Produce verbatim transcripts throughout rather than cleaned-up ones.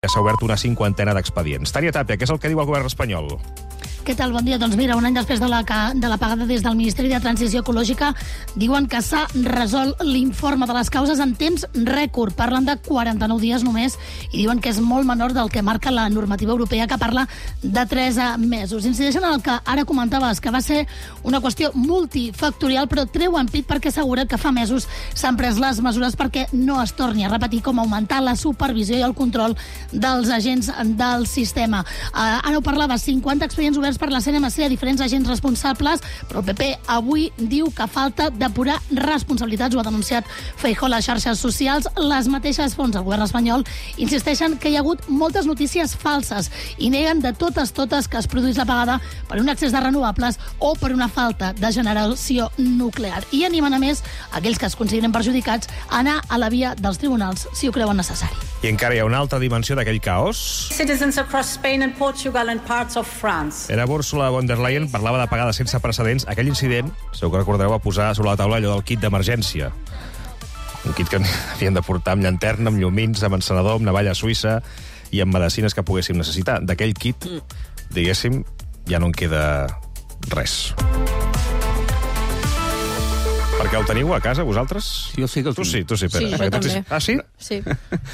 S'ha obert una cinquantena d'expedients. Tània Tapia, què és el que diu el govern espanyol? Què tal? Bon dia. Doncs mira, un any després de la, de la pagada des del Ministeri de Transició Ecològica diuen que s'ha resolt l'informe de les causes en temps rècord. Parlen de quaranta-nou dies només i diuen que és molt menor del que marca la normativa europea, que parla de tres mesos. Incideixen en el que ara comentaves, que va ser una qüestió multifactorial, però treuen pit perquè assegura que fa mesos s'han pres les mesures perquè no es torni a repetir, com augmentar la supervisió i el control dels agents del sistema. Uh, ara ho parlava, cinquanta expedients oberts per la C N M C a diferents agents responsables, però el P P avui diu que falta depurar responsabilitats. Ho ha denunciat Feijóo a les xarxes socials. Les mateixes fonts del govern espanyol insisteixen que hi ha hagut moltes notícies falses i neguen de totes totes que es produís la pagada per un excés de renovables o per una falta de generació nuclear. I animen a més aquells que es consideren perjudicats a anar a la via dels tribunals si ho creuen necessari. I encara hi ha una altra dimensió d'aquell caos. Citizens across Spain and Portugal and parts of France. Era Ursula von der Leyen, parlava de pagada sense precedents. Aquell incident, segur que recordareu, va posar sobre la taula allò del kit d'emergència. Un kit que havien de portar amb llanterna, amb llumins, amb encenedor, amb navalla suïssa i amb medicines que poguéssim necessitar. D'aquell kit, diguéssim, ja no en queda res. Perquè el teniu a casa, vosaltres? Jo sí que el tu tinc. sí, tu sí, Pere. Sí, jo també. Ah, sí? Sí.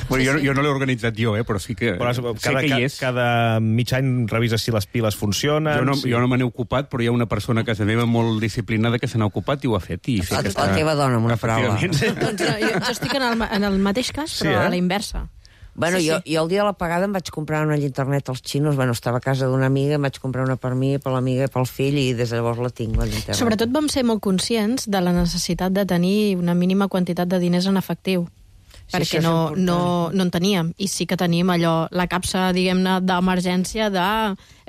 Bueno, jo, jo no l'he organitzat jo, eh, però sí que Però sé cada, que hi és. cada mig any revises si les piles funcionen. Jo no, si... jo no me n'he ocupat, però hi ha una persona a casa meva molt disciplinada que se n'ha ocupat i ho ha fet. I sé La, que la està... teva dona, amb una paraula. Efectivament. Doncs jo, jo, jo estic en el, en el mateix cas, però Sí, eh? a la inversa. Bueno, Sí, jo, sí. jo el dia de la pagada em vaig comprar una internet als xinos. Bueno, estava a casa d'una amiga, em vaig comprar una per mi, per l'amiga i pel fill, i des de llavors la tinc, la internet. Sobretot vam ser molt conscients de la necessitat de tenir una mínima quantitat de diners en efectiu. Sí, Perquè això és no, important. no, no en teníem. I sí que tenim allò, la capsa, diguem-ne, d'emergència de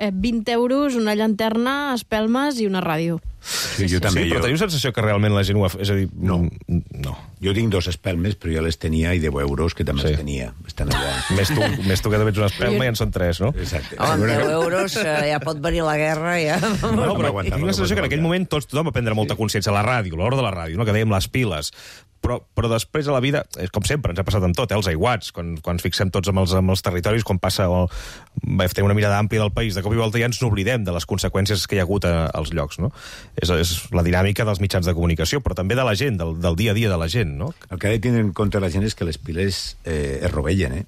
eh, vint euros, una llanterna, espelmes i una ràdio. Sí, jo també. Sí, però jo... teniu sensació que realment la gent ho ha fet? És a dir, No. no. Jo tinc dos espelmes, però jo les tenia, i deu euros, que també Sí. les tenia. Estan allà. Més tu, més tu que també ets una espelma i en són tres, no? Exacte. Home, amb deu euros eh, ja pot venir la guerra, ja... No, però aguantar, tinc la sensació que en aquell moment tots, tothom va prendre molta consciència. La ràdio, l'hora de la ràdio, no? Que dèiem les piles. Però, però després a la vida, és com sempre, ens ha passat amb tot, eh? Els aiguats, quan, quan ens fixem tots amb els, amb els territoris, quan passa o vam tenir una mirada àmplia del país, de cop i volta ja ens n'oblidem de les conseqüències que hi ha hagut a, als llocs, no? És, és la dinàmica dels mitjans de comunicació, però també de la gent, del, del dia a dia de la gent, no? El que ha de tindre en compte la gent és que les piles eh, es rovellen, eh?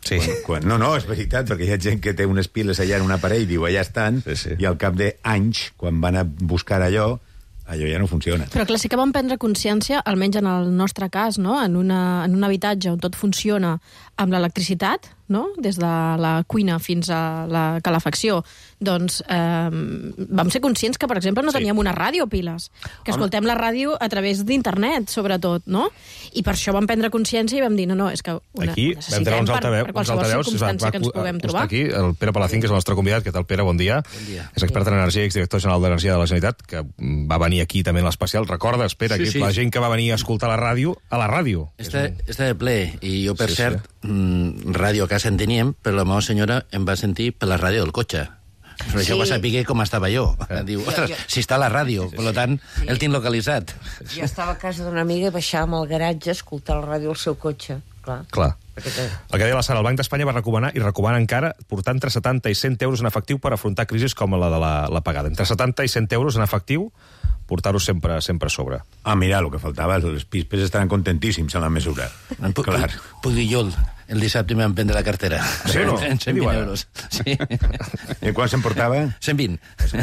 Sí. Quan, quan, no, no, és veritat, perquè hi ha gent que té unes piles allà en un aparell, diu, allà estan, Sí, sí. i al cap d'anys, quan van a buscar allò, allò ja no funciona. Però clar, sí que vam prendre consciència, almenys en el nostre cas, no? en, una, en un habitatge on tot funciona amb l'electricitat, no? Des de la cuina fins a la calefacció, doncs eh, vam ser conscients que, per exemple, no Sí. teníem una ràdio a piles, que escoltem la ràdio a través d'internet, sobretot, no? I per això vam prendre consciència i vam dir, no, no, és que una, Aquí ho vam necessitem treure uns per, altaveus, per uns qualsevol altaveus, circumstància que ens puguem està trobar. aquí el Pere Palacín, que és el nostre convidat. Què tal, Pere? Bon dia. Bon dia. És expert en energia i exdirector general d'Energia de la Generalitat, que va venir aquí també en l'especial. Recordes, Pere, Sí, aquí sí. la gent que va venir a escoltar la ràdio, a la ràdio. Està, està de ple, i jo, per Sí, sí, cert, sí. Mm, ràdio a casa en teníem, però la meva senyora em va sentir per la ràdio del cotxe. Per això Sí. va saber com estava jo. Diu, ostres, jo- si està a la ràdio, per tant, Sí. el tinc localitzat. Jo estava a casa d'una amiga i baixàvem al garatge a escoltar la ràdio al seu cotxe, clar. Clar. Perquè té- El que deia la Sara, el Banc d'Espanya va recomanar i recomana encara portar entre setanta i cent euros en efectiu per afrontar crisis com la de la, la pagada. Entre setanta i cent euros en efectiu, portar-ho sempre, sempre a sobre. Ah, mira, el que faltava, els pispes estaran contentíssims en la mesura. Puc, Clar. puc dir jo, el, el dissabte em van prendre la cartera. Sí o no? En Què cent diu vint ara? euros. Sí. I quan se'n portava? cent vint.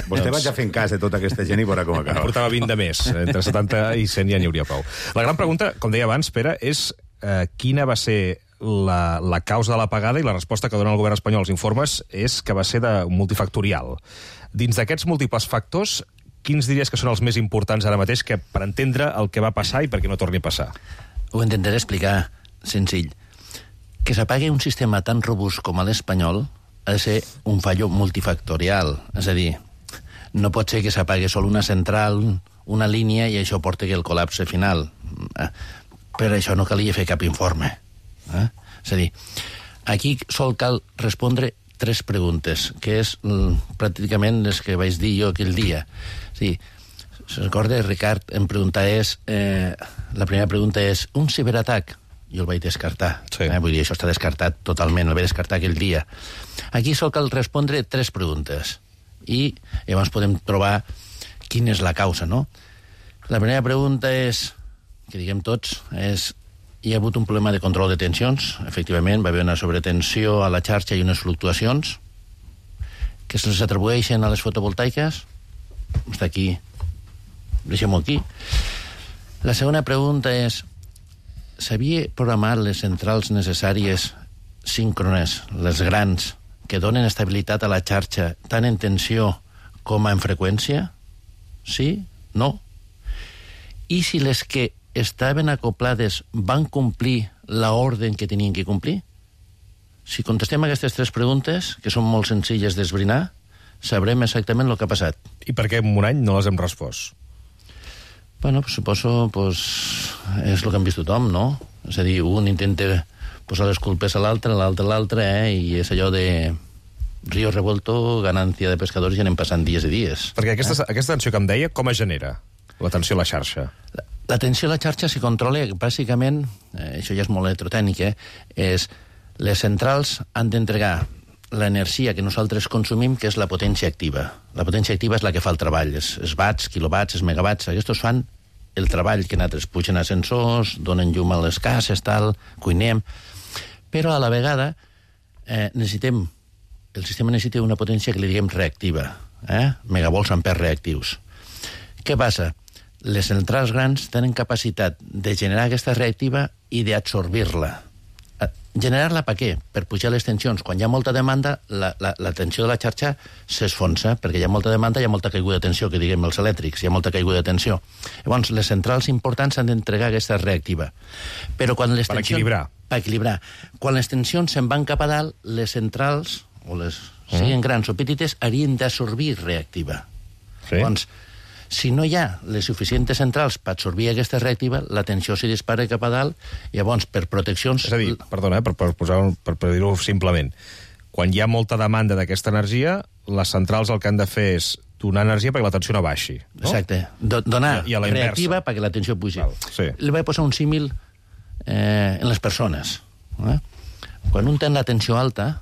Vostè vaig a fer en cas de tota aquesta gent i veurà com acaba. Portava vint de més. Entre setanta i cent ja n'hi hauria prou. La gran pregunta, com deia abans, Pere, és eh, quina va ser la, la causa de la pagada, i la resposta que dona el govern espanyol als informes és que va ser de multifactorial. Dins d'aquests múltiples factors, quins diries que són els més importants ara mateix que per entendre el que va passar i perquè no torni a passar? Ho intentaré explicar senzill. Que s'apague un sistema tan robust com l'espanyol ha de ser un fallo multifactorial. És a dir, no pot ser que s'apague sol una central, una línia, i això porti que el col·lapse final. Per això no calia fer cap informe. Eh? És a dir, aquí sol cal respondre tres preguntes, que és mm, pràcticament les que vaig dir jo aquell dia. Sí, se recorda, Ricard, em pregunta és... Eh, la primera pregunta és, un ciberatac jo el vaig descartar. Sí. Eh? Vull dir, això està descartat totalment, el vaig descartar aquell dia. Aquí sol cal respondre tres preguntes i llavors podem trobar quina és la causa, no? La primera pregunta és, que diguem tots, és hi ha hagut un problema de control de tensions, efectivament, va haver una sobretensió a la xarxa i unes fluctuacions que se les atribueixen a les fotovoltaiques. Està aquí, deixem-ho aquí. La segona pregunta és, s'havia programat les centrals necessàries síncrones, les grans, que donen estabilitat a la xarxa tant en tensió com en freqüència? Sí? No? I si les que estaven acoplades van complir l'ordre que tenien que complir? Si contestem aquestes tres preguntes, que són molt senzilles d'esbrinar, sabrem exactament el que ha passat. I per què en un any no les hem respost? Bueno, pues, suposo, pues, és el que han vist tothom, no? És a dir, un intenta posar les culpes a l'altre, l'altre a l'altre, eh? I és allò de río revuelto, ganancia de pescadors, i anem passant dies i dies. Perquè aquesta, eh? aquesta tensió que em deia, com es genera? La tensió a la xarxa. La, la tensió a la xarxa s'hi controla, bàsicament, eh, això ja és molt electrotècnic, eh? És les centrals han d'entregar l'energia que nosaltres consumim, que és la potència activa. La potència activa és la que fa el treball, els, els watts, quilowatts, els megawatts, aquests fan el treball que nosaltres pugen a ascensors, donen llum a les cases, tal, cuinem, però a la vegada eh, necessitem, el sistema necessita una potència que li diguem reactiva, eh? megavolts ampers reactius. Què passa? Les centrals grans tenen capacitat de generar aquesta reactiva i d'absorbir-la. Generar-la per què? Per pujar les tensions. Quan hi ha molta demanda, la, la, la tensió de la xarxa s'esfonsa, perquè hi ha molta demanda, hi ha molta caiguda de tensió, que diguem els elèctrics, hi ha molta caiguda de tensió. Llavors, les centrals importants han d'entregar aquesta reactiva. Però quan les per tensions... equilibrar. Per equilibrar. Quan les tensions se'n van cap a dalt, les centrals, o les mm. siguin grans o petites, haurien d'absorbir reactiva. Sí. Llavors, si no hi ha les suficients centrals per absorbir aquesta reactiva, la tensió s'hi dispara cap a dalt, i llavors, per proteccions... És a dir, perdona, eh, per, per, posar, per, per dir-ho simplement, quan hi ha molta demanda d'aquesta energia, les centrals el que han de fer és donar energia perquè la tensió no baixi. No? Exacte. Do donar I, i reactiva perquè la tensió pugi. Val, sí. Li vaig posar un símil eh, en les persones. Eh? Quan un té la tensió alta,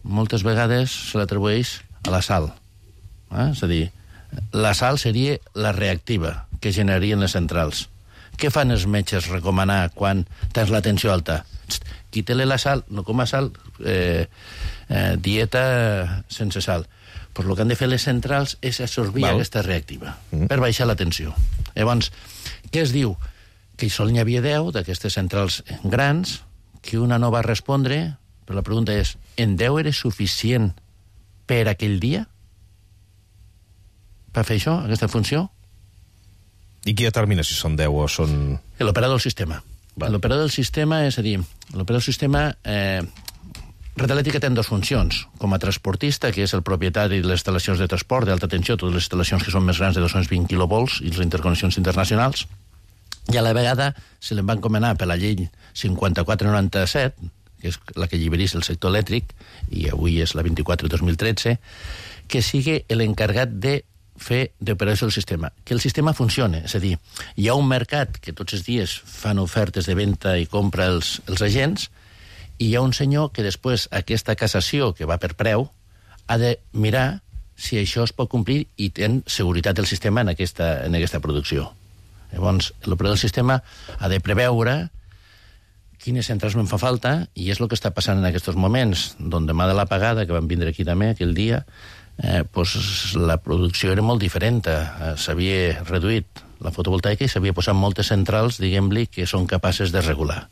moltes vegades se l'atribueix a la sal. Eh? És a dir, la sal seria la reactiva que generarien les centrals. Què fan els metges recomanar quan tens la tensió alta? Quita-li la sal, no coma sal, eh, eh, dieta sense sal. Pues el que han de fer les centrals és absorbir Val. aquesta reactiva mm. per baixar la tensió. Llavors, què es diu? Que sol n'hi havia deu d'aquestes centrals grans, que una no va respondre, però la pregunta és, en deu era suficient per aquell dia? Per fer això, aquesta funció? I qui determina si són deu o són... L'operador del sistema. L'operador del sistema, és a dir, l'operador del sistema... Eh, Red Eléctrica té dues funcions. Com a transportista, que és el propietari de les instal·lacions de transport d'alta tensió, totes les instal·lacions que són més grans de dos-cents vint quilovolts i les interconnexions internacionals, i a la vegada se li va encomanar per la llei cinquanta-quatre noranta-set, que és la que alliberís el sector elèctric, i avui és la vint-i-quatre dos mil tretze, que sigui l'encarregat de fer d'operació del sistema, que el sistema funcione. És a dir, hi ha un mercat que tots els dies fan ofertes de venda i compra els, els agents, i hi ha un senyor que després aquesta cassació que va per preu ha de mirar si això es pot complir i ten seguretat del sistema en aquesta, en aquesta producció. Llavors, l'operador del sistema ha de preveure quines centrals me'n fa falta, i és el que està passant en aquests moments, d'on demà de l'apagada, que van vindre aquí també aquell dia, eh, pues, la producció era molt diferent. Eh, s'havia reduït la fotovoltaica i s'havia posat moltes centrals, diguem-li, que són capaces de regular.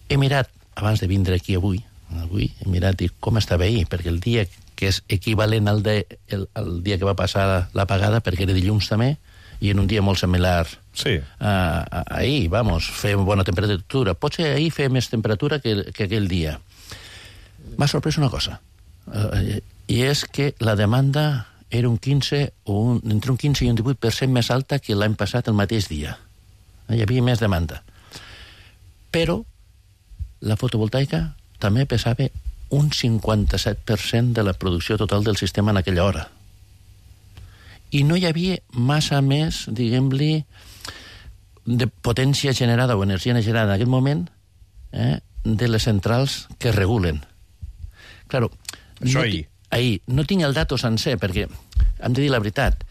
He mirat, abans de vindre aquí avui, avui he mirat i com estava ahir, perquè el dia que és equivalent al, de, el, el dia que va passar l'apagada, perquè era dilluns també, i en un dia molt similar sí. a, a, ahir, vamos, fer bona temperatura. Potser ahir fer més temperatura que, que aquell dia. M'ha sorprès una cosa, eh, i és que la demanda era un quinze, o un, entre un quinze i un divuit per cent més alta que l'any passat el mateix dia. Hi havia més demanda. Però la fotovoltaica també pesava un cinquanta-set per cent de la producció total del sistema en aquella hora. I no hi havia massa més, diguem-li, de potència generada o energia generada en aquest moment eh, de les centrals que regulen. Claro, Això no ahir. Ahir. No tinc el dato sencer, perquè hem de dir la veritat.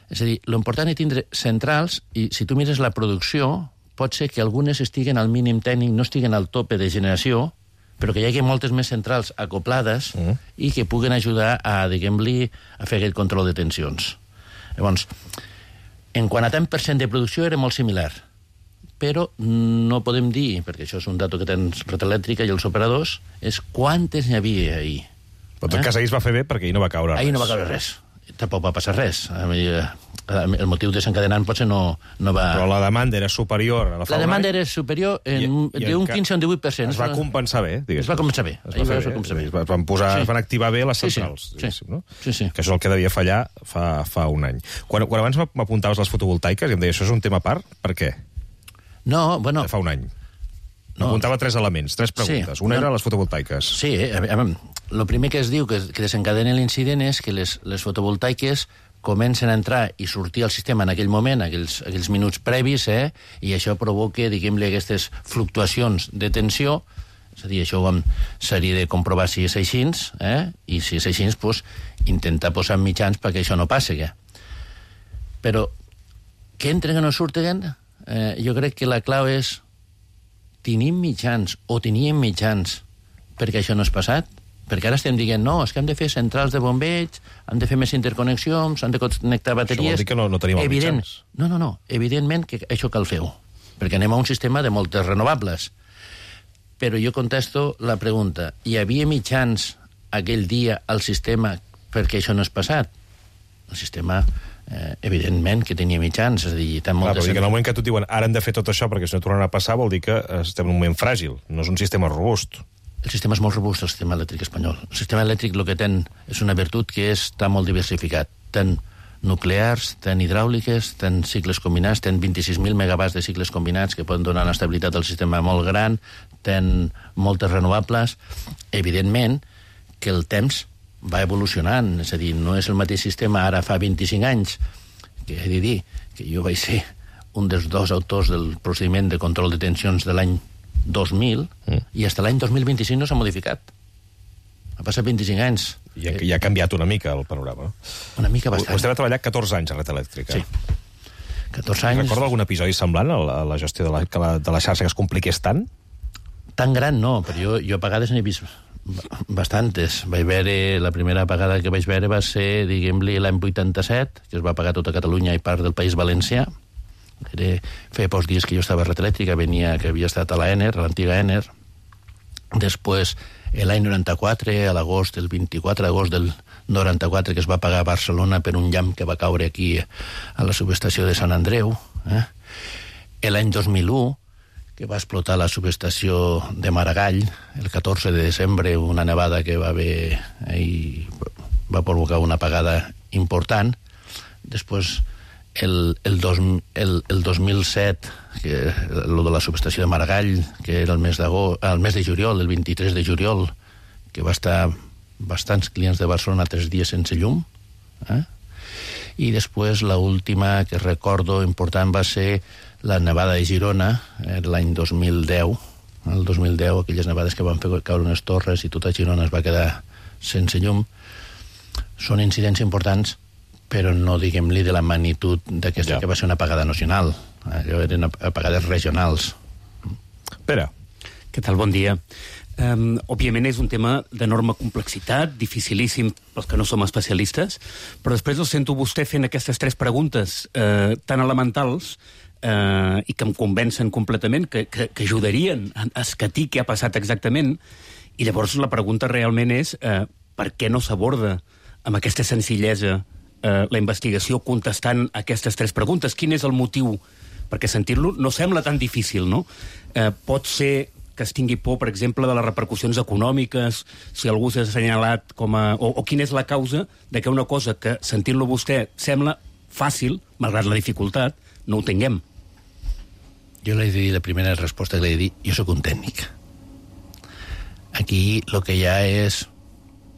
És a dir, l'important és tindre centrals, i si tu mires la producció, pot ser que algunes estiguen al mínim tècnic, no estiguen al tope de generació, però que hi hagi moltes més centrals acoplades mm. i que puguen ajudar a, diguem-li, a fer aquest control de tensions. Llavors, en quant a tant per cent de producció era molt similar, però no podem dir, perquè això és un dato que tens Red Elèctrica i els operadors, és quantes n'hi havia ahir. Però en tot cas ahir es va fer bé perquè ahir no va caure res. Ahir no va caure res. Tampoc va passar res. El motiu desencadenant potser no, no va... Però la demanda era superior a la fa La demanda un any, era superior en, i, i d'un enca... quinze a un divuit per cent. Es va compensar bé, diguéssim. Es va compensar bé. Es va fer bé. Compensar bé. Es van, posar, Sí. es van activar bé les Sí, sí. centrals, Sí. no? Sí, sí. Que això és el que devia fallar fa, fa un any. Quan, quan abans m'apuntaves les fotovoltaiques i em deia, això és un tema a part? Per què? No, bueno... Fa un any. No. M'apuntava tres elements, tres preguntes. Sí. Una No. era les fotovoltaiques. Sí, el primer que es diu que, que desencadena l'incident és que les, les fotovoltaiques comencen a entrar i sortir al sistema en aquell moment, aquells, aquells minuts previs, eh, i això provoca, diguem-li, aquestes fluctuacions de tensió. És a dir, això ho seria de comprovar si és així, eh, i si és així, pues, intentar posar mitjans perquè això no passi. Eh? Però que entren o no surten, eh, jo crec que la clau és tenim mitjans o teníem mitjans perquè això no és passat. Perquè ara estem dient, no, és que hem de fer centrals de bombeig, hem de fer més interconnexions, hem de connectar bateries... Això vol dir que no, no tenim els Evident, mitjans. No, no, no, evidentment que això cal fer-ho, perquè anem a un sistema de moltes renovables. Però jo contesto la pregunta, hi havia mitjans aquell dia al sistema perquè això no és passat? El sistema, eh, evidentment, que tenia mitjans, és a dir, tan Clar, moltes... però dir que en el moment que tu et diuen ara hem de fer tot això perquè si no tornarà a passar vol dir que estem en un moment fràgil, no és un sistema robust. El sistema és molt robust, el sistema elèctric espanyol. El sistema elèctric el que ten és una virtut que és tan molt diversificat. Ten nuclears, ten hidràuliques, ten cicles combinats, ten vint-i-sis mil megawatts de cicles combinats que poden donar una estabilitat al sistema molt gran, ten moltes renovables. Evidentment que el temps va evolucionant, és a dir, no és el mateix sistema ara fa vint-i-cinc anys, que he de dir que jo vaig ser un dels dos autors del procediment de control de tensions de l'any dos mil, mm. i fins l'any dos mil vint-i-cinc no s'ha modificat. Ha passat vint-i-cinc anys. I ha, i ha canviat una mica el panorama. Una mica bastant. Vostè va treballar catorze anys a Red Elèctrica. Sí. catorze anys... Recorda algun episodi semblant a la, a la gestió de la, que la, de la xarxa que es compliqués tant? Tan gran no, però jo, jo apagades n'he vist bastantes. Vaig veure, la primera apagada que vaig veure va ser, diguem-li, l'any vuitanta-set, que es va apagar tota Catalunya i part del País Valencià. Era, feia pocs dies que jo estava a Red Elèctrica, venia, que havia estat a la Ener, a l'antiga Ener. Després, l'any noranta-quatre, a l'agost, el vint-i-quatre d'agost del noranta-quatre, que es va apagar a Barcelona per un llamp que va caure aquí a la subestació de Sant Andreu. Eh? L'any dos mil u, que va explotar la subestació de Maragall, el catorze de desembre, una nevada que va haver i va provocar una apagada important. Després, el, el, dos, el, el dos mil set, que el de la subestació de Maragall, que era el mes, el mes de juliol, el vint-i-tres de juliol, que va estar bastants clients de Barcelona tres dies sense llum. Eh? I després, l'última que recordo important va ser la nevada de Girona, eh, l'any dos mil deu. El dos mil deu, aquelles nevades que van fer caure unes torres i tota Girona es va quedar sense llum. Són incidents importants, però no, diguem-li, de la magnitud d'aquesta, ja. Que va ser una apagada nacional. Allò eren apagades regionals. Pere. Què tal? Bon dia. Um, òbviament és un tema d'enorme complexitat, dificilíssim pels que no som especialistes, però després el sento vostè fent aquestes tres preguntes eh, tan elementals eh, i que em convencen completament, que, que, que ajudarien a escatir què ha passat exactament, i llavors la pregunta realment és eh, per què no s'aborda amb aquesta senzillesa eh, la investigació contestant aquestes tres preguntes? Quin és el motiu? Perquè sentir-lo no sembla tan difícil, no? Eh, pot ser que es tingui por, per exemple, de les repercussions econòmiques, si algú s'ha assenyalat com a... O, o quina és la causa de que una cosa que, sentint-lo vostè, sembla fàcil, malgrat la dificultat, no ho tinguem. Jo l'he de dir, la primera resposta que l'he de dir, jo sóc un tècnic. Aquí el que hi ha és...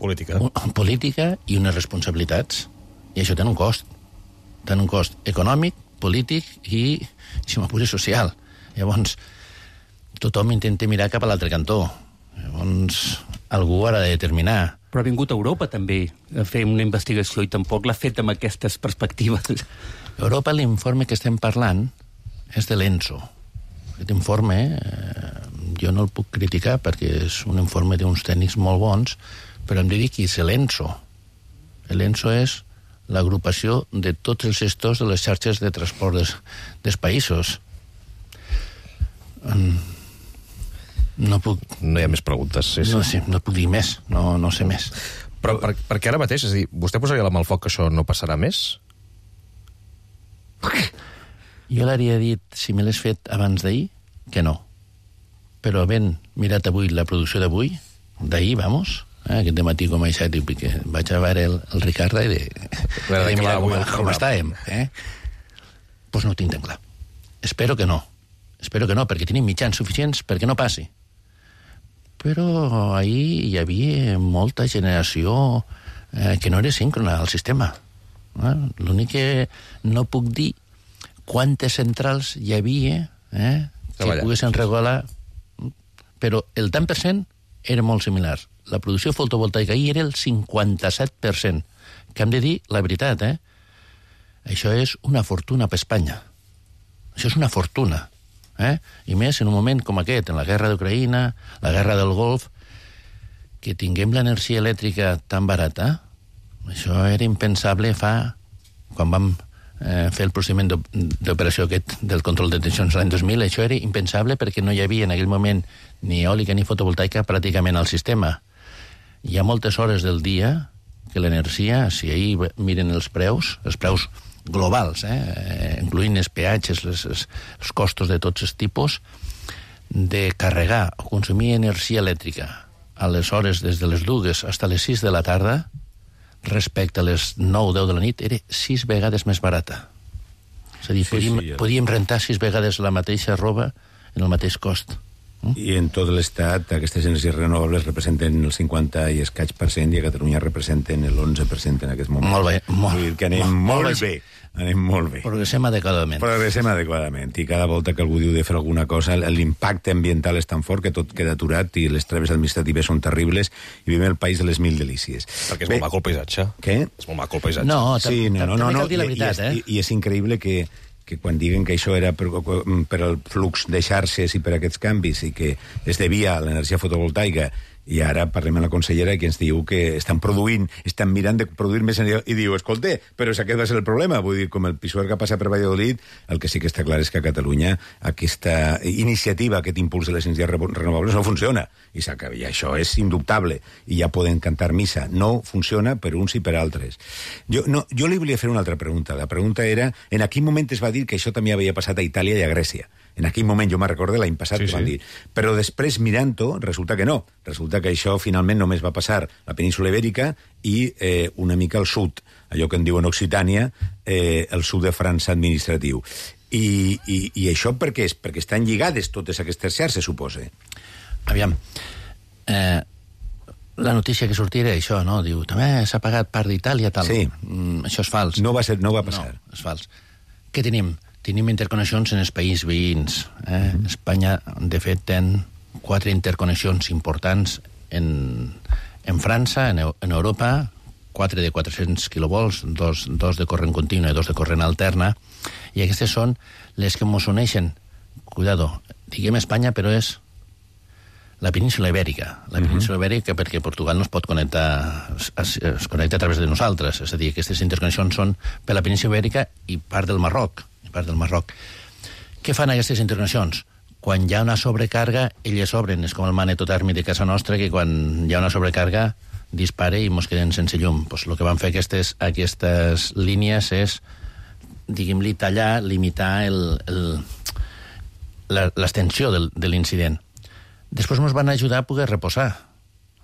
Política. Un, política i unes responsabilitats. I això té un cost. Té un cost econòmic, polític i, si m'apures, social. Llavors, tothom intenta mirar cap a l'altre cantó. Llavors, algú ha de determinar. Però ha vingut a Europa, també, a fer una investigació, i tampoc l'ha fet amb aquestes perspectives. A Europa, l'informe que estem parlant és de l'ENSO. Aquest informe, eh, jo no el puc criticar perquè és un informe d'uns tècnics molt bons, però hem de dir que és l'ENSO. L'ENSO és l'agrupació de tots els gestors de les xarxes de transport des, dels països. Um, no puc... No hi ha més preguntes. Sí, sí. No, sí, no puc dir més, no, no sé més. Però per, perquè ara mateix, és a dir, vostè posaria la mà al foc que això no passarà més? Jo l'hauria dit, si me l'has fet abans d'ahir, que no. Però havent mirat avui la producció d'avui, d'ahir, vamos, eh, aquest dematí com a set, que vaig a veure el, el Ricardo i de, de, de mirar com, com estàvem, eh? Pues no ho tinc tan clar. Espero que no. Espero que no, perquè tenim mitjans suficients perquè no passi. Però ahir hi havia molta generació eh, que no era síncrona al sistema. Eh? L'únic que no puc dir quantes centrals hi havia eh, que Treballant. Poguessin regular, però el tant per cent era molt similar. La producció fotovoltaica ahir era el cinquanta-set per cent, que hem de dir la veritat, eh? Això és una fortuna per Espanya. Això és una fortuna. Eh? I més en un moment com aquest, en la guerra d'Ucraïna, la guerra del Golf, que tinguem l'energia elèctrica tan barata, això era impensable fa... Quan vam eh, fer el procediment d'operació aquest del control de tensions l'any dos mil, això era impensable perquè no hi havia en aquell moment ni eòlica ni fotovoltaica pràcticament al sistema. Hi ha moltes hores del dia que l'energia, si ahir miren els preus, els preus globals, eh, incloent els peatges, les, els, els costos de tots els tipus, de carregar o consumir energia elèctrica a les hores des de les dues fins a les sis de la tarda, respecte a les nou o deu de la nit, era sis vegades més barata. És a dir, sí, podíem, sí, ja. podíem rentar sis vegades la mateixa roba en el mateix cost. Mm? I en tot l'estat aquestes energies renovables representen el cinquanta i escaig per cent i a Catalunya representen l'onze per cent en aquest moment. Molt bé. Molt, Vull dir que anem molt, molt bé. Anem molt bé. Progressem adequadament. Progressem adequadament. I cada volta que algú diu de fer alguna cosa, l'impacte ambiental és tan fort que tot queda aturat i les traves administratives són terribles i vivim el país de les mil delícies. Perquè és bé. Molt maco el paisatge. Què? És molt maco el paisatge. No, sí, no, no, no, no. cal dir la veritat, I, eh? I, i és increïble que que quan diguen que això era per, per al flux de xarxes i per aquests canvis i que es devia a l'energia fotovoltaica, i ara parlem amb la consellera que ens diu que estan produint, estan mirant de produir més energia, i diu, escolta, però és aquest va ser el problema. Vull dir, com el Pisuerga passa per Valladolid, el que sí que està clar és que a Catalunya aquesta iniciativa, aquest impuls de les energies renovables no funciona, i, i això és indubtable, i ja poden cantar missa. No funciona per uns i per altres. Jo, no, jo li volia fer una altra pregunta. La pregunta era, en quin moment es va dir que això també havia passat a Itàlia i a Grècia? En aquell moment, jo me'n recordo l'any passat, sí, que van sí. dir. Però després, mirant-ho, resulta que no. Resulta que això finalment només va passar a la península Ibèrica i eh, una mica al sud, allò que en diuen Occitània, eh, el sud de França administratiu. I, i, i això per què és? Perquè estan lligades totes aquestes xarxes, suposa. Aviam, eh, la notícia que sortia era això, no? Diu, també s'ha pagat part d'Itàlia, tal. Sí. Mm, això és fals. No va, ser, no va passar. No, és fals. Què tenim? Tenim interconnexions en els països veïns. Eh? Mm. Espanya, de fet, ten quatre interconnexions importants en, en França, en, en Europa, quatre de quatre-cents quilovolts, dos, dos de corrent continu i dos de corrent alterna, i aquestes són les que ens uneixen. Cuidado, diguem Espanya, però és la península Ibèrica. La península uh-huh. Ibèrica perquè Portugal no es pot connectar, es, es connecta a través de nosaltres. És a dir, aquestes interconnexions són per la península Ibèrica i part del Marroc. part del Marroc. Què fan aquestes interconnexions? Quan hi ha una sobrecarga, elles obren. És com el magnetotèrmic de casa nostra, que quan hi ha una sobrecarga dispara i ens quedem sense llum. Pues el que van fer aquestes, aquestes línies és, diguem-li, tallar, limitar l'extensió de l'incident. Després ens van ajudar a poder reposar.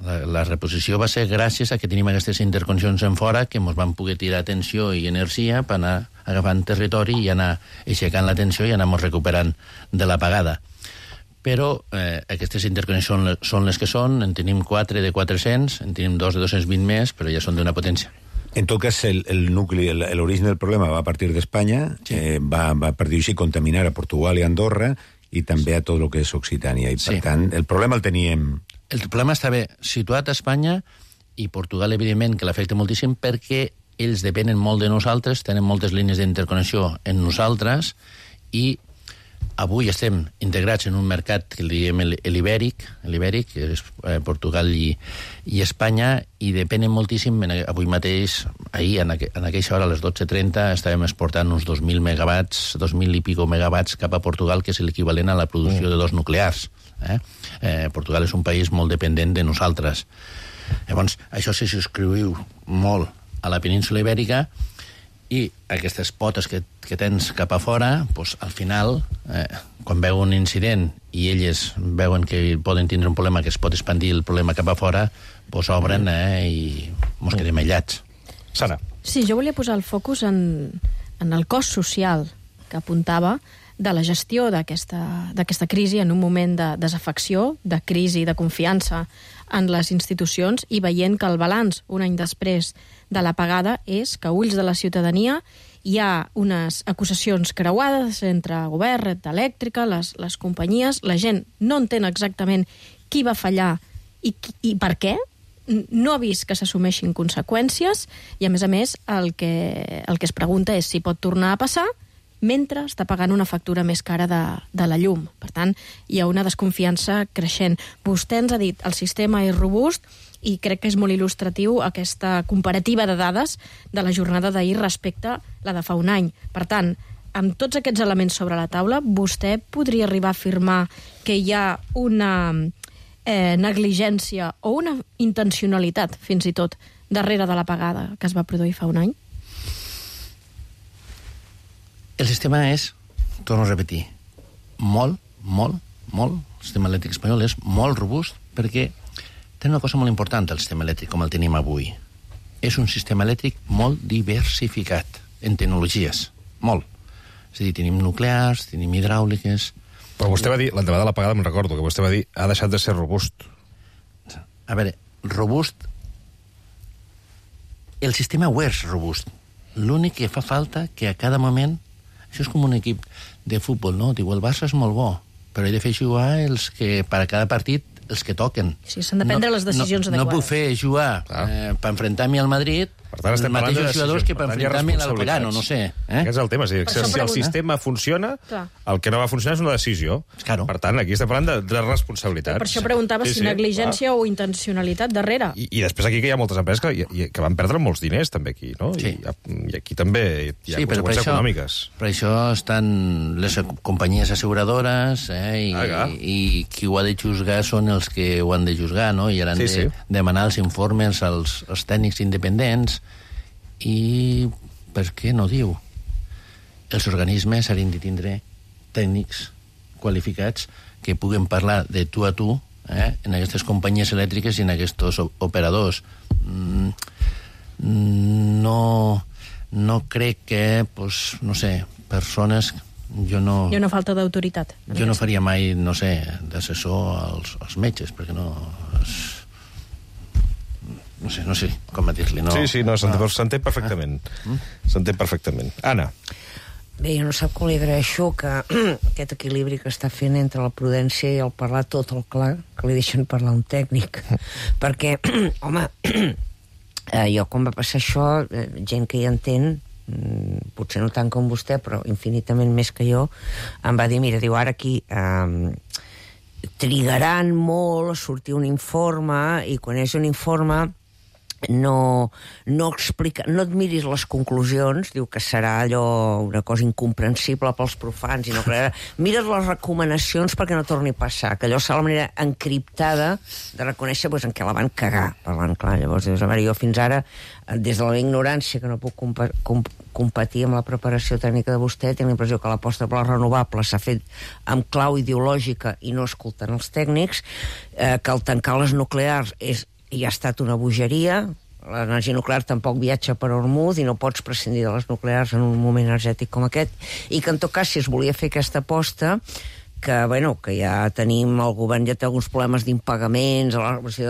La, la reposició va ser gràcies a que tenim aquestes interconnexions en fora que ens van poder tirar tensió i energia per anar agafant territori i anar aixecant la tensió i anar recuperant de l'apagada. Però eh, aquestes interconnexions són les que són, en tenim quatre de quatre-cents, en tenim dos de dos-cents vint més, però ja són d'una potència. En tot cas, el, el nucli, el- l'origen del problema va a partir d'Espanya, Sí. eh, va, va, per dir-ho així, contaminar a Portugal i Andorra i també a tot el que és Occitània. I, per Sí. tant, el problema el teníem... El problema està bé situat a Espanya i Portugal, evidentment, que l'afecta moltíssim perquè ells depenen molt de nosaltres, tenen moltes línies d'interconnexió en nosaltres i avui estem integrats en un mercat que li diem el- l'ibèric, l'ibèric, que és eh, Portugal i, i Espanya, i depenen moltíssim. En, avui mateix, ahir, en, aqu en aquella hora, a les dotze trenta, estàvem exportant uns dos mil megawatts, dos mil i pico megawatts cap a Portugal, que és l'equivalent a la producció de dos nuclears. Eh? Eh, Portugal és un país molt dependent de nosaltres. Llavors, això se subscriu molt a la península ibèrica i aquestes potes que, que tens cap a fora, doncs, al final, eh, quan veu un incident i elles veuen que poden tindre un problema que es pot expandir el problema cap a fora, doncs obren eh, i mos quedem aïllats. Sara. Sí, jo volia posar el focus en, en el cost social que apuntava de la gestió d'aquesta d'aquesta crisi en un moment de desafecció, de crisi, de confiança en les institucions i veient que el balanç, un any després de l'apagada, és que a ulls de la ciutadania hi ha unes acusacions creuades entre govern, red elèctrica, les, les companyies, la gent no entén exactament qui va fallar i, qui, i per què, no ha vist que s'assumeixin conseqüències i, a més a més, el que, el que es pregunta és si pot tornar a passar mentre està pagant una factura més cara de, de la llum. Per tant, hi ha una desconfiança creixent. Vostè ens ha dit el sistema és robust i crec que és molt il·lustratiu aquesta comparativa de dades de la jornada d'ahir respecte a la de fa un any. Per tant, amb tots aquests elements sobre la taula, vostè podria arribar a afirmar que hi ha una eh, negligència o una intencionalitat, fins i tot, darrere de l'apagada que es va produir fa un any? El sistema és, torno a repetir, molt, molt, molt, el sistema elèctric espanyol és molt robust perquè té una cosa molt important el sistema elèctric com el tenim avui. És un sistema elèctric molt diversificat en tecnologies, molt. És a dir, tenim nuclears, tenim hidràuliques... Però vostè va dir, l'endemà de l'apagada, me'n recordo, que vostè va dir ha deixat de ser robust. A veure, robust... El sistema ho és robust. L'únic que fa falta que a cada moment... Això és com un equip de futbol, no? Diu, el Barça és molt bo, però he de fer jugar els que, per a cada partit, els que toquen. Sí, s'han de prendre no, les decisions no, adequades. No puc fer jugar Ah. eh, per enfrontar-me al Madrid Per tant, estem els parlant de mateixos jugadors decisions. que per Per tant, hi ha enfrontar-me al responsabilitats. Pagano, no sé. Eh? Aquest és el tema. Si, Per si, això si el pregunto. sistema funciona, Clar. el que no va funcionar és una decisió. Claro. Per tant, aquí estem parlant de, de responsabilitats. Per això preguntava Sí, si sí, negligència o intencionalitat darrere. I, I després aquí que hi ha moltes empreses que, i- que van perdre molts diners, també, aquí, no? Sí. I, I aquí també hi ha Sí, però per conseqüències això, econòmiques. per això estan les companyies asseguradores eh, i, Ah, i qui ho ha de juzgar són els que ho han de juzgar, no? I han Sí, de sí. demanar els informes als, als tècnics independents i per què no diu? Els organismes haurien de tindre tècnics qualificats que puguen parlar de tu a tu eh, en aquestes companyies elèctriques i en aquests operadors. Mm, no, no crec que, pues, no sé, persones... Jo no, Hi ha una falta d'autoritat. jo no faria mai, no sé, d'assessor als, als metges, perquè no... És, no sé, no sé com dir-li. No, Sí, sí, no, s'entén no. s'entén perfectament. S'entén perfectament. Anna. Bé, jo no sap com li agraeixo que aquest equilibri que està fent entre la prudència i el parlar tot el clar, que li deixen parlar un tècnic. Perquè, home, eh, jo quan va passar això, eh, gent que hi entén, mm, potser no tant com vostè, però infinitament més que jo, em va dir, mira, diu, ara aquí eh, trigaran molt a sortir un informe, i quan és un informe no, no explica, no et miris les conclusions, diu que serà allò una cosa incomprensible pels profans i no creurà. Mires les recomanacions perquè no torni a passar, que allò serà la manera encriptada de reconèixer pues, en què la van cagar, parlant clar. Llavors dius, a veure, jo fins ara des de la ignorància, que no puc compa comp competir amb la preparació tècnica de vostè, tinc la impressió que l'aposta per les renovables s'ha fet amb clau ideològica i no escoltant els tècnics, eh, que el tancar les nuclears és i ha estat una bogeria. L'energia nuclear tampoc viatja per Hormuz i no pots prescindir de les nuclears en un moment energètic com aquest, i que en tot cas si es volia fer aquesta aposta que, bueno, que ja tenim, el govern ja té alguns problemes d'impagaments,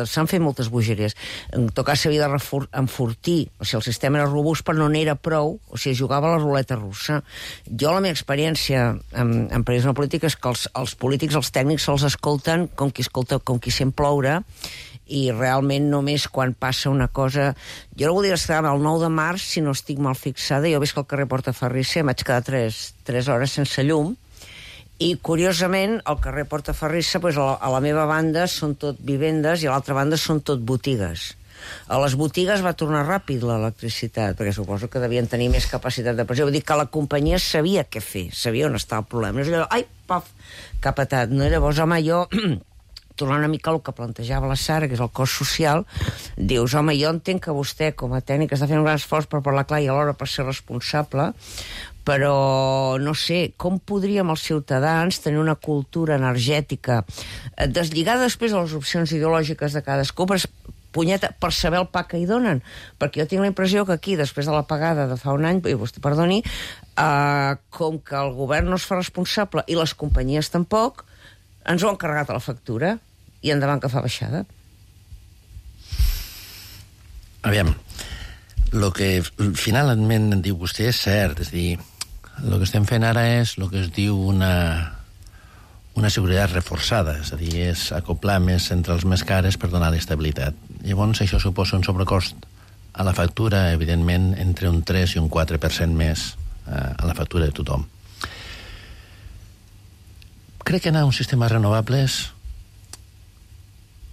s'han fet moltes bogeries. En tot cas, s'havia de enfortir, o sigui, el sistema era robust, però no n'era prou, o sigui, jugava a la ruleta russa. Jo, la meva experiència en, en periodisme polític és que els, els polítics, els tècnics, se'ls escolten com qui escolta, com qui sent ploure, i realment només quan passa una cosa... Jo no voldria estar el nou de març, si no estic mal fixada, jo veig que al carrer Portaferrissa em vaig quedar tres, tres hores sense llum, i, curiosament, al carrer Portaferrissa, doncs, a, la, a la meva banda són tot vivendes i a l'altra banda són tot botigues. A les botigues va tornar ràpid l'electricitat, perquè suposo que devien tenir més capacitat de pressió. Vull dir que la companyia sabia què fer, sabia on estava el problema. No és allò, ai, paf, capatat. No? Llavors, home, jo... tornant una mica al que plantejava la Sara, que és el cost social, dius, home, jo entenc que vostè, com a tècnic, està fent un gran esforç per parlar clar i alhora per ser responsable, però, no sé, com podríem els ciutadans tenir una cultura energètica deslligada després de les opcions ideològiques de cadascú, per, punyeta, per saber el pa que hi donen? Perquè jo tinc la impressió que aquí, després de l'apagada de fa un any, i vostè perdoni, eh, com que el govern no es fa responsable i les companyies tampoc, ens ho han carregat a la factura i endavant que fa baixada. Aviam, el que finalment diu vostè és cert, és a dir, el que estem fent ara és el que es diu una, una seguretat reforçada, és a dir, és acoplar més centrals més cares per donar estabilitat. Llavors, això suposa un sobrecost a la factura, evidentment, entre un tres i un quatre per cent més eh, a la factura de tothom. Crec que anar a un sistema renovables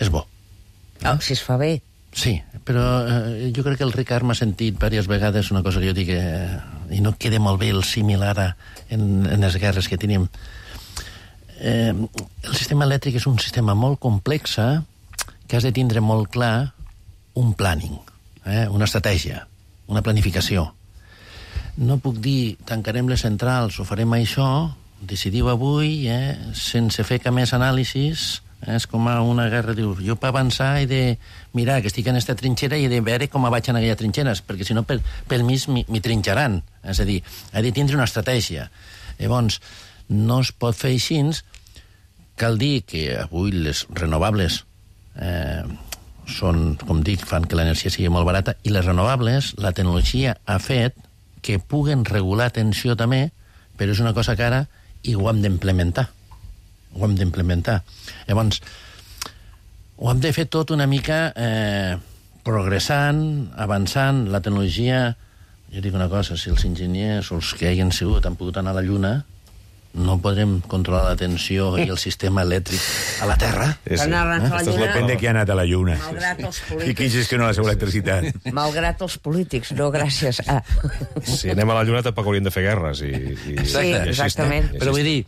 és bo. Oh, si es fa bé. Sí, però eh, jo crec que el Ricard m'ha sentit diverses vegades una cosa que jo dic, eh, i no queda molt bé el símil ara en, en les guerres que tenim. Eh, el sistema elèctric és un sistema molt complex que has de tindre molt clar un planning, eh, una estratègia, una planificació. No puc dir, tancarem les centrals o farem això, decidiu avui, eh, sense fer cap més anàlisis. És com una guerra, dius, jo per avançar he de mirar que estic en aquesta trinxera i he de veure com vaig en aquelles trinxeres, perquè si no pel, pel mig m'hi trinxaran. És a dir, he de tindre una estratègia. Llavors, no es pot fer així. Cal dir que avui les renovables eh, són, com dic, fan que l'energia sigui molt barata, i les renovables, la tecnologia ha fet que puguen regular tensió també, però és una cosa que ara i ho hem d'implementar. Ho hem d'implementar. Llavors, ho hem de fer tot una mica eh, progressant, avançant. La tecnologia, jo dic una cosa, si els enginyers o els que hagin sigut han pogut anar a la Lluna, no podrem controlar la tensió i el sistema elèctric a la Terra. Sí, sí. Eh? Esto depèn de qui ha anat a la Lluna. Malgrat els polítics. I qui gestiona la seva electricitat. Malgrat els polítics, no gràcies a... Si anem a la Lluna tampoc hauríem de fer guerres. I, i, sí, i exactament. Però vull dir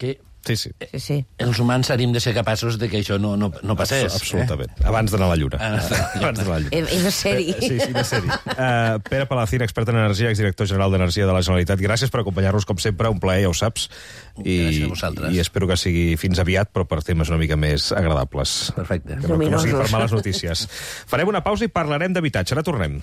que... Sí, sí. Sí, sí. Els humans hauríem de ser capaços de que això no, no, no passés. Absolutament. Eh? Abans d'anar a la Lluna. Abans d'anar a la Lluna. He de ser-hi. Sí, sí, de ser-hi. Uh, Pere Palacín, expert en energia, exdirector general d'Energia de la Generalitat. Gràcies per acompanyar-nos, com sempre. Un plaer, ja ho saps. I, gràcies a vosaltres. I espero que sigui fins aviat, però per temes una mica més agradables. Perfecte. Que no, que no sigui per males notícies. Farem una pausa i parlarem d'habitatge. Ara tornem.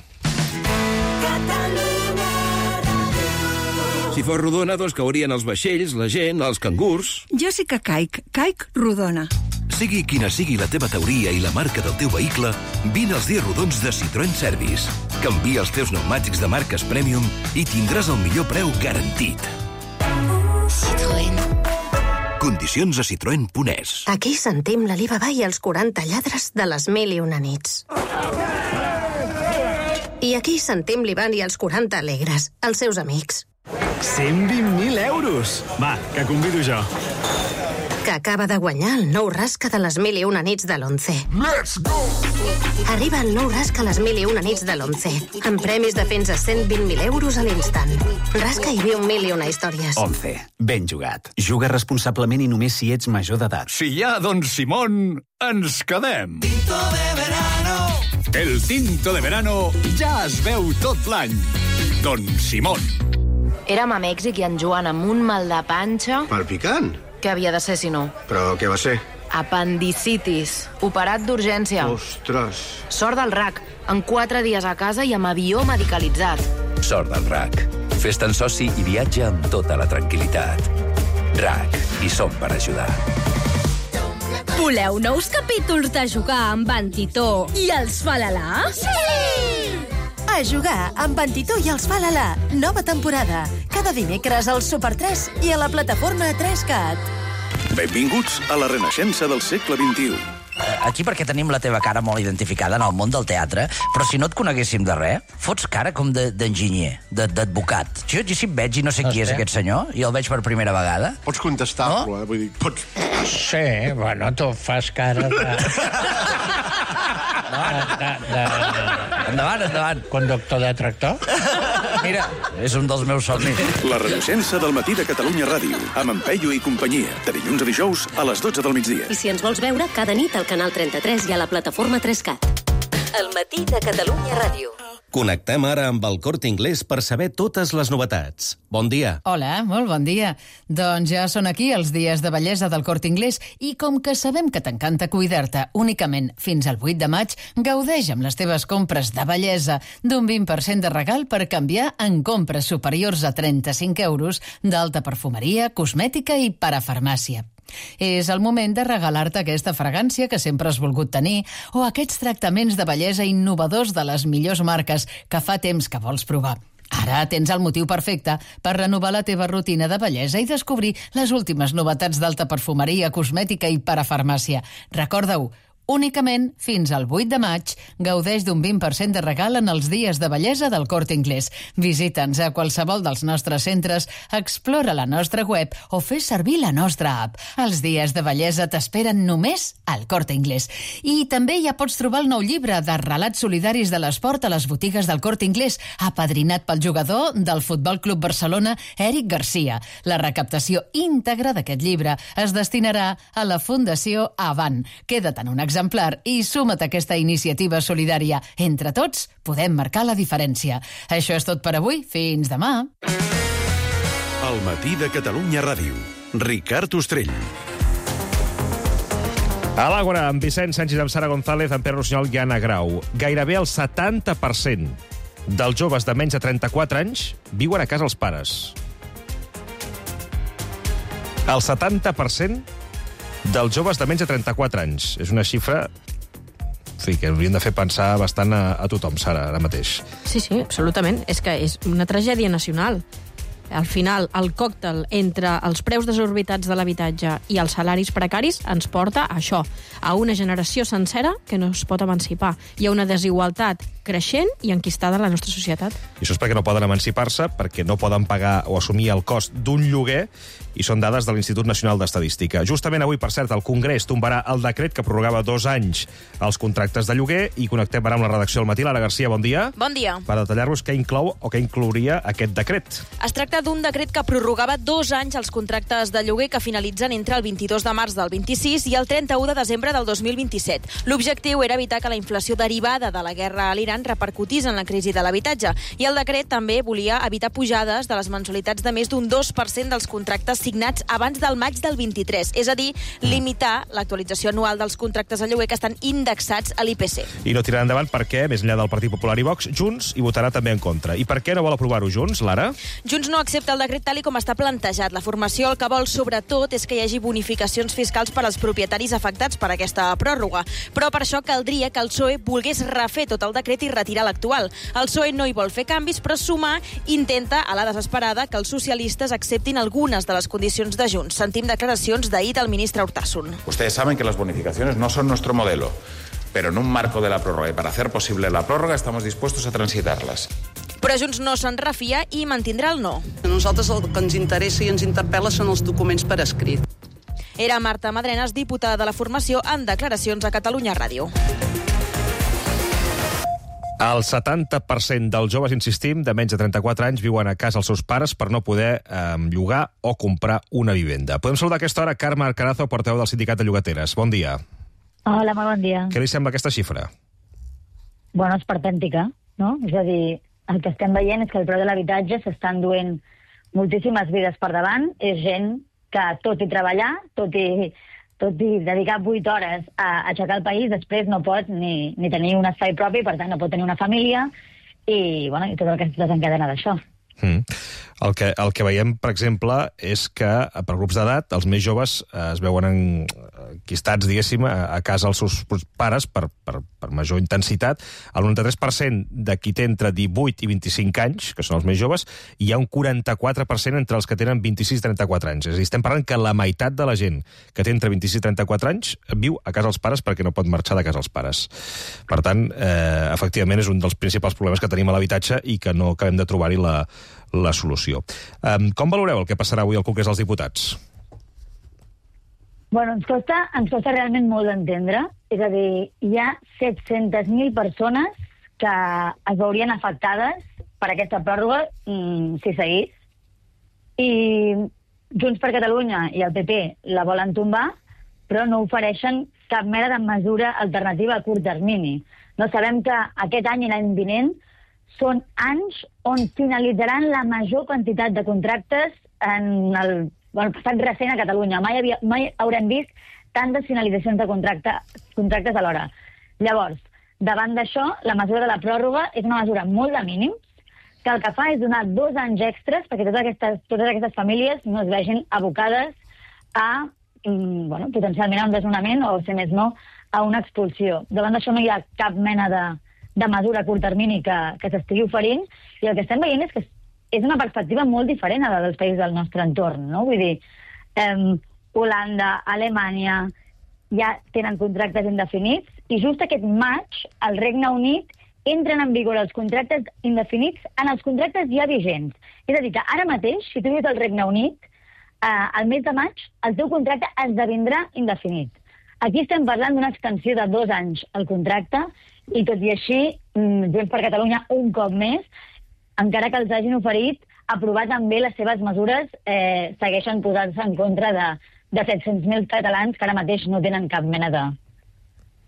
Si fos rodona, doncs caurien els vaixells, la gent, els cangurs... Jo sí que caic, caic rodona. Sigui quina sigui la teva teoria i la marca del teu vehicle, vine als dies rodons de Citroën Service. Canvia els teus pneumàtics de marques Premium i tindràs el millor preu garantit. Citroën. Condicions a citroen punt es. Aquí sentim l'Alibaba i els quaranta lladres de les mil i una nits. I aquí sentim l'Ivan i els quaranta alegres, els seus amics. cent vint mil euros! Va, que convido jo. Que acaba de guanyar el nou rasca de les mil i una nits de l'Once. Let's go! Arriba el nou rasca a les mil i una nits de l'Once, amb premis de fins a cent vint mil euros a l'instant. Rasca i viu mil i una històries. Once. Ben jugat. Juga responsablement i només si ets major d'edat. Si hi ha Don Simón, ens quedem. Tinto de verano. El tinto de verano ja es veu tot l'any. Don Simón. Érem a Mèxic i en Joan amb un mal de panxa... Palpicant? Què havia de ser, si no? Però què va ser? Apendicitis. Operat d'urgència. Ostres. Sort del R A C. En quatre dies a casa i amb avió medicalitzat. Sort del R A C. Fes-te'n soci i viatja amb tota la tranquil·litat. R A C, hi som per ajudar. Voleu nous capítols de Jugar amb en Titó i els Falalà? Sí! A Jugar amb en Titó i els Falalà. Nova temporada. Cada dimecres al Super tres i a la plataforma tres cat. Benvinguts a la renaixença del segle vint-i-u. Aquí perquè tenim la teva cara molt identificada en el món del teatre, però si no et coneguéssim de res, fots cara com d'enginyer, de, d'advocat. Jo, jo si em veig i no sé qui és aquest senyor, i el veig per primera vegada... Pots contestar-lo, eh? Vull dir, pots... Sí, bueno, tu fas cara de... de, de... Endavant, endavant. Conductor de tractor? Mira, és un dels meus somnis. La renaixença del matí de Catalunya Ràdio, amb en Peyu i companyia, de dilluns a dijous a les dotze del migdia. I si ens vols veure, cada nit al canal trenta-tres i a la plataforma tres cat. El matí de Catalunya Ràdio. Connectem ara amb el Corte Inglés per saber totes les novetats. Bon dia. Hola, molt bon dia. Doncs ja són aquí els dies de bellesa del Corte Inglés i com que sabem que t'encanta cuidar-te únicament fins al vuit de maig, gaudeix amb les teves compres de bellesa d'un vint per cent de regal per canviar en compres superiors a trenta-cinc euros d'alta perfumeria, cosmètica i parafarmàcia. És el moment de regalar-te aquesta fragància que sempre has volgut tenir o aquests tractaments de bellesa innovadors de les millors marques que fa temps que vols provar. Ara tens el motiu perfecte per renovar la teva rutina de bellesa i descobrir les últimes novetats d'alta perfumeria, cosmètica i parafarmàcia. Recorda-ho, únicament fins al vuit de maig gaudeix d'un vint per cent de regal en els dies de bellesa del Corte Inglés. Visita'ns a qualsevol dels nostres centres, explora la nostra web o fes servir la nostra app. Els dies de bellesa t'esperen només al Corte Inglés. I també ja pots trobar el nou llibre de relats solidaris de l'esport a les botigues del Corte Inglés, apadrinat pel jugador del Futbol Club Barcelona, Eric Garcia. La recaptació íntegra d'aquest llibre es destinarà a la Fundació Avant. Queda't en un exemplar i suma't a aquesta iniciativa solidària. Entre tots podem marcar la diferència. Això és tot per avui. Fins demà. El matí de Catalunya Ràdio. Ricard Ostrell. A l'Àgora, amb Vicent Sánchez, amb Sara González, amb Pere Rossinyol i Anna Grau. Gairebé el setanta per cent dels joves de menys de trenta-quatre anys viuen a casa els pares. El setanta per cent dels joves de menys de trenta-quatre anys. És una xifra, en fi, que hauríem de fer pensar bastant a, a tothom, Sara, ara mateix. Sí, sí, absolutament. És que és una tragèdia nacional. Al final, el còctel entre els preus desorbitats de l'habitatge i els salaris precaris ens porta a això, a una generació sencera que no es pot emancipar. Hi ha una desigualtat creixent i enquistada a la nostra societat. I això és perquè no poden emancipar-se, perquè no poden pagar o assumir el cost d'un lloguer, i són dades de l'Institut Nacional d'Estadística. Justament avui, per cert, el Congrés tombarà el decret que prorrogava dos anys els contractes de lloguer, i connectem ara amb la redacció del matí. Lara Garcia, bon dia. Bon dia. Per detallar-vos què inclou o què inclouria aquest decret. Es tracta d'un decret que prorrogava dos anys els contractes de lloguer que finalitzen entre el vint-i-dos de març del vint-i-sis i el trenta-u de desembre del dos mil vint-i-set. L'objectiu era evitar que la inflació derivada de la guerra a l'Iran repercutís en la crisi de l'habitatge, i el decret també volia evitar pujades de les mensualitats de més d'un dos per cent dels contractes signats abans del maig del vint-i-tres, és a dir, limitar l'actualització anual dels contractes de lloguer que estan indexats a l'I P C. I no tirarà endavant perquè, més enllà del Partit Popular i Vox, Junts hi votarà també en contra. I per què no vol aprovar-ho Junts, Lara? Junts no accepta el decret tal i com està plantejat. La formació el que vol, sobretot, és que hi hagi bonificacions fiscals per als propietaris afectats per aquesta pròrroga. Però per això caldria que el P S O E volgués refer tot el decret i retirar l'actual. El P S O E no hi vol fer canvis, però Sumar intenta, a la desesperada, que els socialistes acceptin algunes de les condicions de Junts. Sentim declaracions d'ahir del ministre Urtasun. Ustedes saben que las bonificaciones no son nuestro modelo, pero en un marco de la prórroga y para hacer posible la prórroga estamos dispuestos a transitarlas. Però Junts no se'n refia i mantindrà el no. A nosaltres el que ens interessa i ens interpel·la són els documents per escrit. Era Marta Madrenas, diputada de la formació, en declaracions a Catalunya Ràdio. El setanta per cent dels joves, insistim, de menys de trenta-quatre anys viuen a casa els seus pares per no poder eh, llogar o comprar una vivenda. Podem saludar a aquesta hora Carme Arcarazo, portaveu del Sindicat de Llogateres. Bon dia. Hola, molt bon dia. Què li sembla aquesta xifra? Bueno, és perpèntica, no? És a dir, el que estem veient és que el preu de l'habitatge s'està enduent moltíssimes vides per davant. És gent que, tot i treballar, tot i, tot i dedicar vuit hores a aixecar el país, després no pot ni, ni tenir un espai propi, per tant no pot tenir una família, i, bueno, i tot el que es desencadena d'això. Mm. El, que, el que veiem, per exemple, és que per grups d'edat els més joves es veuen enquistats, diguéssim, a, a casa dels seus pares per, per, per major intensitat. El noranta-tres per cent de qui té entre divuit i vint-i-cinc anys, que són els més joves, hi ha un quaranta-quatre per cent entre els que tenen vint-i-sis i trenta-quatre anys. És a dir, estem parlant que la meitat de la gent que té entre vint-i-sis i trenta-quatre anys viu a casa dels pares perquè no pot marxar de casa dels pares. Per tant, eh, efectivament, és un dels principals problemes que tenim a l'habitatge i que no acabem de trobar-hi la, la solució. Um, com valoreu el que passarà avui al Congrés dels Diputats? Bueno, ens costa, ens costa realment molt d'entendre. És a dir, hi ha set-centes mil persones que es veurien afectades per aquesta pròrroga mm, si seguís. I Junts per Catalunya i el P P la volen tombar, però no ofereixen cap mena de mesura alternativa a curt termini. No sabem que aquest any i l'any vinent són anys on finalitzaran la major quantitat de contractes en el, bueno, passat recent a Catalunya. Mai, havia, mai haurem vist tantes finalitzacions de contracte, contractes alhora. Llavors, davant d'això, la mesura de la pròrroga és una mesura molt de mínims, que el que fa és donar dos anys extres perquè totes aquestes, totes aquestes famílies no es vegin abocades a bueno, potencialment a un desnonament o, si més no, a una expulsió. Davant d'això no hi ha cap mena de, de mesura a curt termini que, que s'estigui oferint, i el que estem veient és que és una perspectiva molt diferent a la dels països del nostre entorn, no? Vull dir, eh, Holanda, Alemanya, ja tenen contractes indefinits, i just aquest maig, al Regne Unit, entren en vigor els contractes indefinits en els contractes ja vigents. És a dir, que ara mateix, si tu vius al Regne Unit, eh, al mes de maig, el teu contracte esdevindrà indefinit. Aquí estem parlant d'una extensió de dos anys al contracte, i tot i així, Junts per Catalunya un cop més, encara que els hagin oferit aprovar també les seves mesures, eh, segueixen posant-se en contra de, de set-cents mil catalans que ara mateix no tenen cap mena de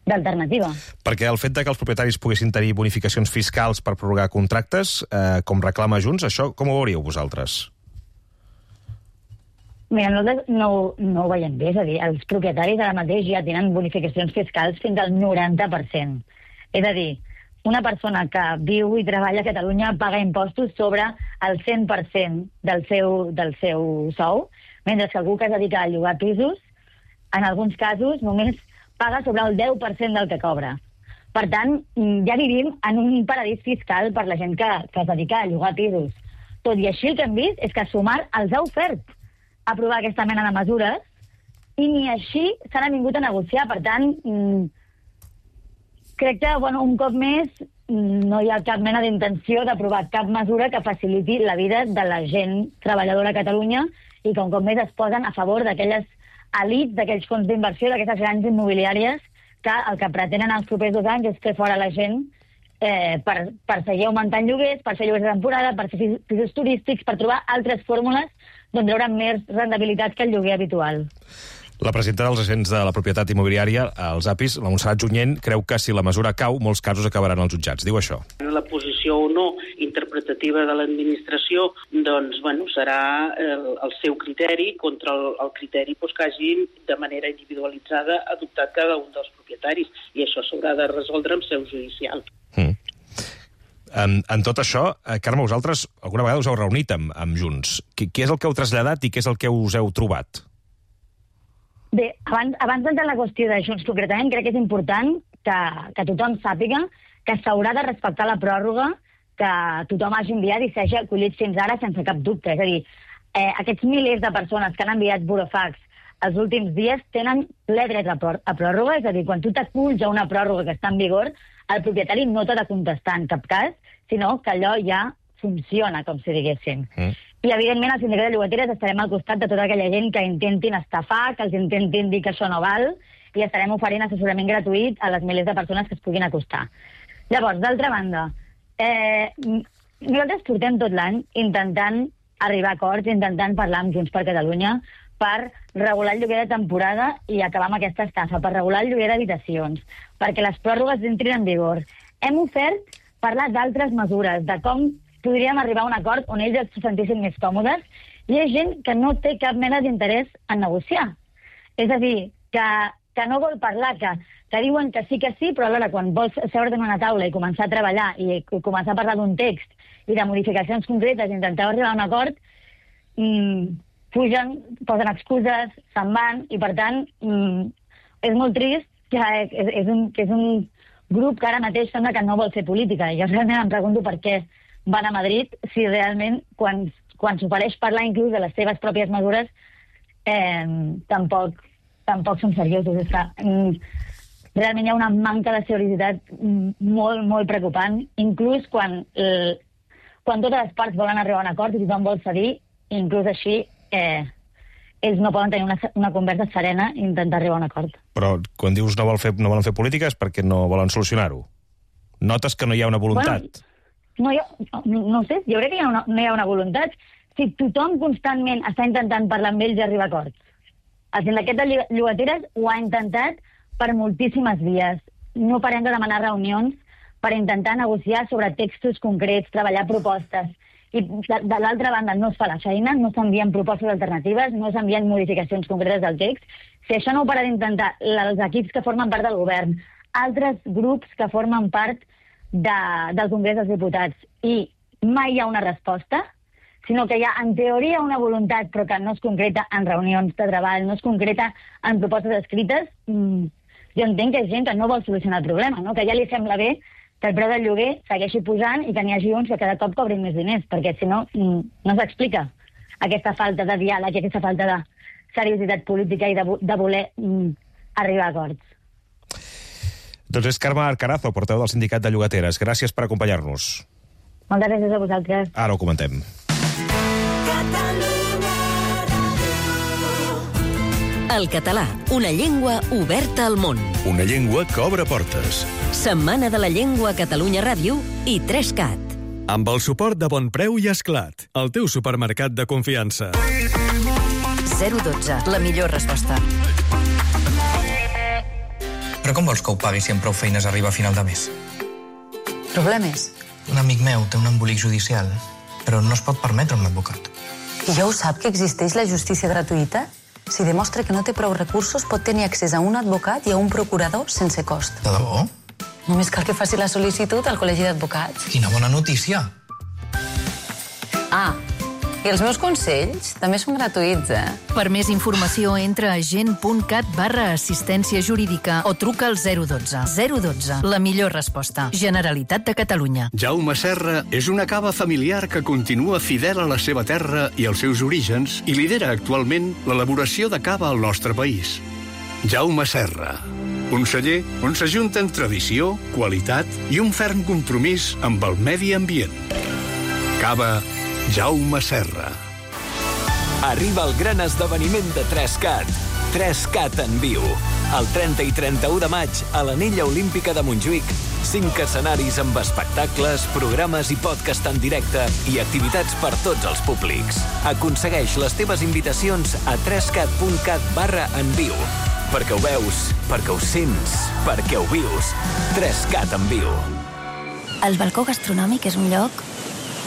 d'alternativa. Perquè el fet de que els propietaris poguessin tenir bonificacions fiscals per prorrogar contractes, eh, com reclama Junts, això com ho veuríeu vosaltres? Mira, nosaltres no, no ho veiem bé, és a dir, els propietaris ara mateix ja tenen bonificacions fiscals fins al noranta per cent. És a dir, una persona que viu i treballa a Catalunya paga impostos sobre el cent per cent del seu, del seu sou, mentre que algú que es dedica a llogar pisos, en alguns casos només paga sobre el deu per cent del que cobra. Per tant, ja vivim en un paradís fiscal per la gent que, que es dedica a llogar pisos. Tot i així el que hem vist és que Sumar els ha ofert aprovar aquesta mena de mesures i ni així s'han vingut a negociar. Per tant, crec que, bueno, un cop més no hi ha cap mena d'intenció d'aprovar cap mesura que faciliti la vida de la gent treballadora a Catalunya i que un cop més es posen a favor d'aquelles elits, d'aquells fons d'inversió, d'aquestes grans immobiliàries que el que pretenen els propers dos anys és fer fora la gent eh, per, per seguir augmentant lloguers, per fer lloguers de temporada, per fer pisos turístics, per trobar altres fórmules d'on treure més rendibilitat que el lloguer habitual. La presidenta dels agents de la propietat immobiliària, els A P Is, la Montserrat Junyent, creu que si la mesura cau, molts casos acabaran als jutjats. Diu això. La posició o no interpretativa de l'administració doncs, bueno, serà el, el seu criteri contra el, el criteri doncs, que hagin de manera individualitzada adoptat cada un dels propietaris, i això s'haurà de resoldre en seu judicial. Mm. En, en tot això, eh, Carme, vosaltres alguna vegada us heu reunit amb, amb Junts. Qui, qui és el que heu traslladat i què és el que us heu trobat? Bé, abans, abans d'entrar en la qüestió de Junts concretament, crec que és important que, que tothom sàpiga que s'haurà de respectar la pròrroga que tothom hagi enviat i s'hagi acollit fins ara sense cap dubte. És a dir, eh, aquests milers de persones que han enviat burofax els últims dies tenen ple dret a, prò a pròrroga, és a dir, quan tu t'aculls a una pròrroga que està en vigor, el propietari no t'ha de contestar en cap cas, sinó que allò ja funciona, com si diguéssim. Mm. I, evidentment, al sindicat de llogateres estarem al costat de tota aquella gent que intentin estafar, que els intentin dir que això no val, i estarem oferint assessorament gratuït a les milers de persones que es puguin acostar. Llavors, d'altra banda, eh, nosaltres portem tot l'any intentant arribar a acords, intentant parlar amb Junts per Catalunya per regular el lloguer de temporada i acabar amb aquesta estafa, per regular el lloguer d'habitacions, perquè les pròrrogues entrin en vigor. Hem ofert parlar d'altres mesures, de com podríem arribar a un acord on ells es sentissin més còmodes, i hi ha gent que no té cap mena d'interès en negociar. És a dir, que, que no vol parlar, que, que diuen que sí que sí, però alhora quan vols seure't en una taula i començar a treballar i començar a parlar d'un text i de modificacions concretes i intentar arribar a un acord, mmm, fugen, posen excuses, se'n van, i per tant mmm, és molt trist que és, és, un, que és un grup que ara mateix sembla que no vol fer política. I jo realment em pregunto per què van a Madrid si realment quan, quan s'ofereix parlar inclús de les seves pròpies mesures eh, tampoc, tampoc són seriosos. És que, mm, realment hi ha una manca de seriositat molt, molt preocupant, inclús quan, eh, quan totes les parts volen arribar a un acord i tothom vol cedir, inclús així eh, ells no poden tenir una, una conversa serena i intentar arribar a un acord. Però quan dius no, vol fer, no volen fer política és perquè no volen solucionar-ho. Notes que no hi ha una voluntat. Bueno, no, ha, no, no ho sé, jo crec que hi ha una, no hi ha una voluntat. Si tothom constantment està intentant parlar amb ells i arribar a acords. El sindicat de llogateres ho ha intentat per moltíssimes vies. No parem de demanar reunions per intentar negociar sobre textos concrets, treballar propostes. I de, de l'altra banda no es fa la feina, no s'envien propostes alternatives, no s'envien modificacions concretes del text. Si això no ho para d'intentar els equips que formen part del govern, altres grups que formen part de, del Congrés dels Diputats, i mai hi ha una resposta, sinó que hi ha, en teoria, una voluntat, però que no es concreta en reunions de treball, no es concreta en propostes escrites, mmm, jo entenc que hi ha gent que no vol solucionar el problema, no? Que ja li sembla bé que el preu del lloguer segueixi pujant i que n'hi hagi uns que cada cop cobrin més diners, perquè si no, mmm, no s'explica aquesta falta de diàleg i aquesta falta de seriositat política i de, de voler mmm, arribar a acords. Doncs és Carme Arcarazo, portaveu del Sindicat de Llogateres. Gràcies per acompanyar-nos. Moltes gràcies a vosaltres. Ara ho comentem. El català, una llengua oberta al món. Una llengua que obre portes. Setmana de la Llengua a Catalunya Ràdio i tres cat. Amb el suport de Bon Preu i Esclat, el teu supermercat de confiança. zero dotze, la millor resposta. Però com vols que ho pagui si amb prou feines arriba a final de mes? Problemes? Un amic meu té un embolic judicial, però no es pot permetre un advocat. I ja ho sap que existeix la justícia gratuïta? Si demostra que no té prou recursos, pot tenir accés a un advocat i a un procurador sense cost. De debò? Només cal que faci la sol·licitud al Col·legi d'Advocats. Quina bona notícia! Ah, i els meus consells també són gratuïts, eh? Per més informació, entra a gent.cat barra assistència jurídica o truca al zero dotze. zero dotze, la millor resposta. Generalitat de Catalunya. Jaume Serra és una cava familiar que continua fidel a la seva terra i als seus orígens i lidera actualment l'elaboració de cava al nostre país. Jaume Serra, un celler on s'ajunten tradició, qualitat i un ferm compromís amb el medi ambient. Cava Jaume Serra. Arriba el gran esdeveniment de tres cat. tres cat en viu. El trenta i trenta-u de maig, a l'Anella Olímpica de Montjuïc, cinc escenaris amb espectacles, programes i podcast en directe i activitats per tots els públics. Aconsegueix les teves invitacions a tres cat punt cat barra en viu. Perquè ho veus, perquè ho sents, perquè ho vius. tres cat en viu. El balcó gastronòmic és un lloc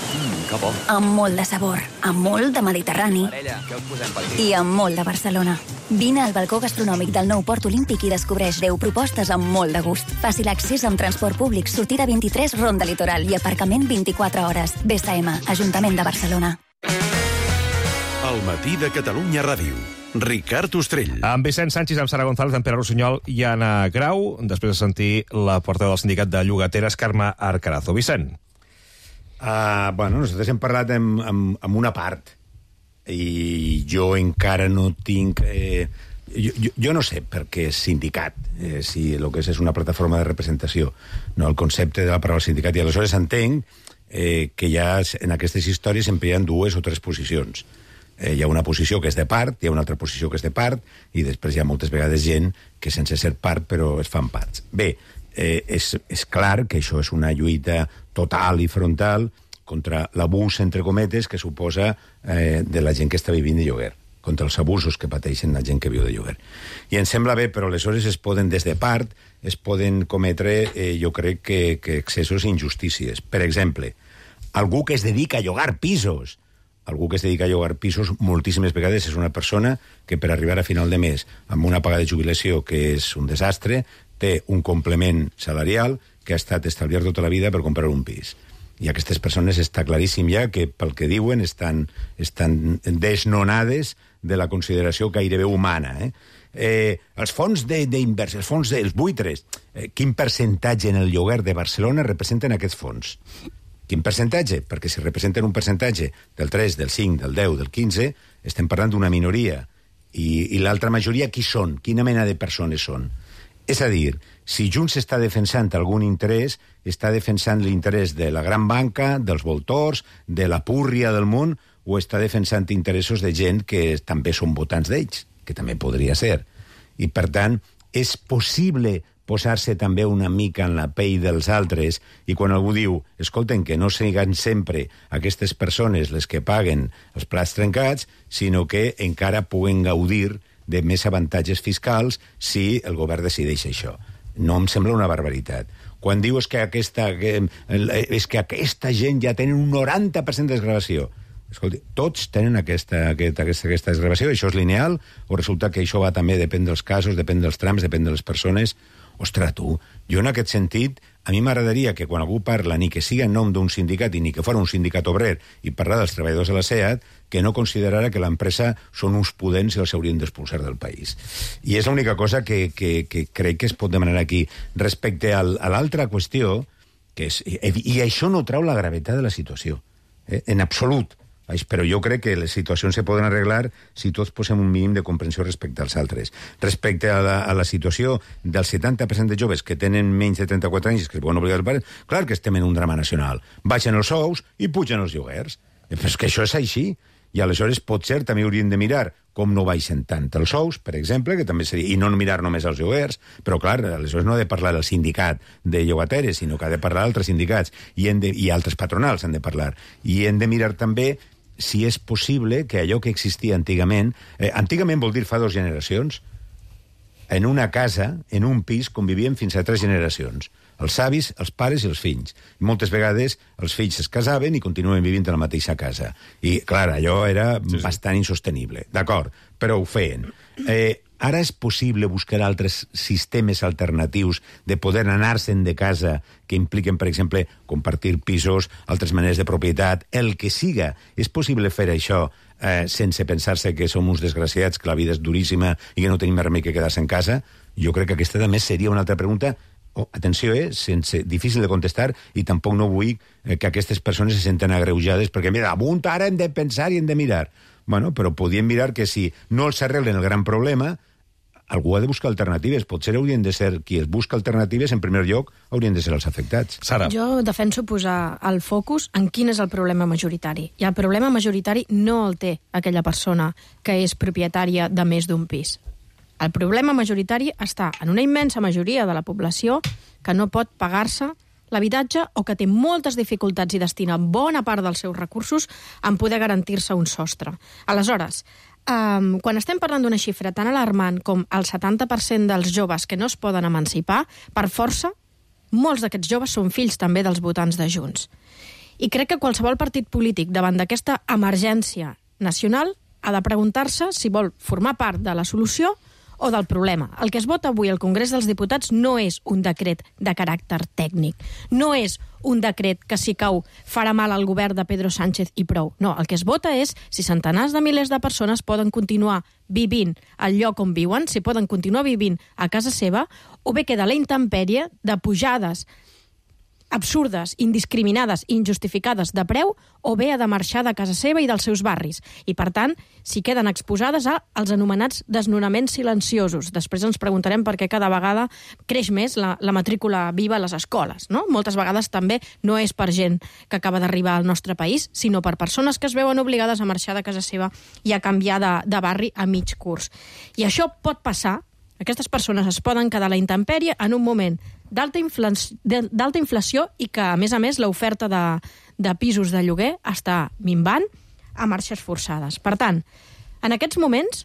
Mm, que bo. amb molt de sabor, amb molt de Mediterrani Parella, què us posem per aquí? i amb molt de Barcelona. Vine al balcó gastronòmic del nou Port Olímpic i descobreix deu propostes amb molt de gust. Fàcil accés amb transport públic, sortida vint-i-tres, Ronda Litoral i aparcament vint-i-quatre hores. B S M, Ajuntament de Barcelona. El matí de Catalunya Ràdio. Ricard Ostrell. Amb Vicent Sánchez, amb Sara González, amb Pere Rossinyol i Anna Grau, després de sentir la portaveu del Sindicat de Llogateres, Carme Arcarazo. Vicent. Uh, bueno, nosaltres hem parlat amb, amb, amb una part i jo encara no tinc... Eh, jo, jo, jo no sé per què és sindicat, eh, si el que és és una plataforma de representació, no el concepte de la paraula sindicat. I aleshores entenc eh, que ja en aquestes històries sempre hi ha dues o tres posicions. Eh, hi ha una posició que és de part, hi ha una altra posició que és de part, i després hi ha moltes vegades gent que sense ser part però es fan parts. Bé, eh, és, és clar que això és una lluita total i frontal contra l'abús, entre cometes, que suposa eh, de la gent que està vivint de lloguer, contra els abusos que pateixen la gent que viu de lloguer. I em sembla bé, però aleshores es poden, des de part, es poden cometre, eh, jo crec, que, que excessos i injustícies. Per exemple, algú que es dedica a llogar pisos, algú que es dedica a llogar pisos moltíssimes vegades és una persona que per arribar a final de mes amb una paga de jubilació que és un desastre, té un complement salarial que ha estat estalviat tota la vida per comprar un pis. I aquestes persones està claríssim ja que, pel que diuen, estan, estan desnonades de la consideració gairebé humana. Eh? Eh, els fons d'inversió, els fons dels buitres, eh, quin percentatge en el lloguer de Barcelona representen aquests fons? Quin percentatge? Perquè si representen un percentatge del tres, del cinc, del deu, del quinze, estem parlant d'una minoria. I, i l'altra majoria, qui són? Quina mena de persones són? És a dir, si Junts està defensant algun interès, està defensant l'interès de la gran banca, dels voltors, de la púrria del món, o està defensant interessos de gent que també són votants d'ells, que també podria ser. I, per tant, és possible posar-se també una mica en la pell dels altres, i quan algú diu, escolten, que no siguin sempre aquestes persones les que paguen els plats trencats, sinó que encara puguen gaudir de més avantatges fiscals si el govern decideix això. No em sembla una barbaritat. Quan dius que aquesta, que, és que aquesta gent ja tenen un noranta per cent de desgravació, escolti, tots tenen aquesta, aquesta, aquesta, aquesta desgravació, això és lineal, o resulta que això va també, depèn dels casos, depèn dels trams, depèn de les persones. Ostres, tu, jo en aquest sentit, a mi m'agradaria que quan algú parla, ni que siga en nom d'un sindicat i ni que fos un sindicat obrer, i parlar dels treballadors de la SEAT, que no considerara que l'empresa són uns pudents i els haurien d'expulsar del país. I és l'única cosa que, que, que crec que es pot demanar aquí. Respecte al, a l'altra qüestió, que és, i, i això no trau la gravetat de la situació, eh, en absolut. Però jo crec que les situacions se poden arreglar si tots posem un mínim de comprensió respecte als altres. Respecte a la, a la situació del setanta per cent de joves que tenen menys de trenta-quatre anys que es poden obligar als pares, clar que estem en un drama nacional. Baixen els sous i pugen els lloguers. Però és que això és així. I aleshores potser també hauríem de mirar com no baixen tant els sous, per exemple, que també seria, i no mirar només els lloguers, però clar, aleshores no ha de parlar el sindicat de llogateres, sinó que ha de parlar altres sindicats i, de, i altres patronals han de parlar. I hem de mirar també si és possible que allò que existia antigament... Eh, antigament vol dir fa dues generacions. En una casa, en un pis, convivien fins a tres generacions. Els avis, els pares i els fills. I moltes vegades els fills es casaven i continuen vivint a la mateixa casa. I, clar, allò era sí, sí. bastant insostenible. D'acord, però ho feien. Eh, ara és possible buscar altres sistemes alternatius de poder anar-se'n de casa que impliquen, per exemple, compartir pisos, altres maneres de propietat, el que siga. És possible fer això eh, sense pensar-se que som uns desgraciats, que la vida és duríssima i que no tenim més remei que quedar-se en casa? Jo crec que aquesta també seria una altra pregunta. Oh, atenció, eh? Sense, difícil de contestar, i tampoc no vull eh, que aquestes persones se senten agreujades perquè, mira, amunt ara hem de pensar i hem de mirar. Bueno, però podíem mirar que si no els arreglen el gran problema, algú ha de buscar alternatives. Potser haurien de ser qui es busca alternatives, en primer lloc, haurien de ser els afectats. Sara. Jo defenso posar el focus en quin és el problema majoritari. I el problema majoritari no el té aquella persona que és propietària de més d'un pis. El problema majoritari està en una immensa majoria de la població que no pot pagar-se l'habitatge o que té moltes dificultats i destina bona part dels seus recursos en poder garantir-se un sostre. Aleshores, um, quan estem parlant d'una xifra tan alarmant com el setanta per cent dels joves que no es poden emancipar, per força, molts d'aquests joves són fills també dels votants de Junts. I crec que qualsevol partit polític davant d'aquesta emergència nacional ha de preguntar-se si vol formar part de la solució o del problema. El que es vota avui al Congrés dels Diputats no és un decret de caràcter tècnic, no és un decret que si cau farà mal al govern de Pedro Sánchez i prou. No, el que es vota és si centenars de milers de persones poden continuar vivint al lloc on viuen, si poden continuar vivint a casa seva, o bé queda la intempèrie de pujades absurdes, indiscriminades i injustificades de preu, o bé ha de marxar de casa seva i dels seus barris. I, per tant, si queden exposades als anomenats desnonaments silenciosos. Després ens preguntarem per què cada vegada creix més la, la matrícula viva a les escoles, no? Moltes vegades també no és per gent que acaba d'arribar al nostre país, sinó per persones que es veuen obligades a marxar de casa seva i a canviar de, de barri a mig curs. I això pot passar. Aquestes persones es poden quedar a la intempèrie en un moment d'alta inflació, d'alta inflació i que, a més a més, l'oferta de, de pisos de lloguer està minvant a marxes forçades. Per tant, en aquests moments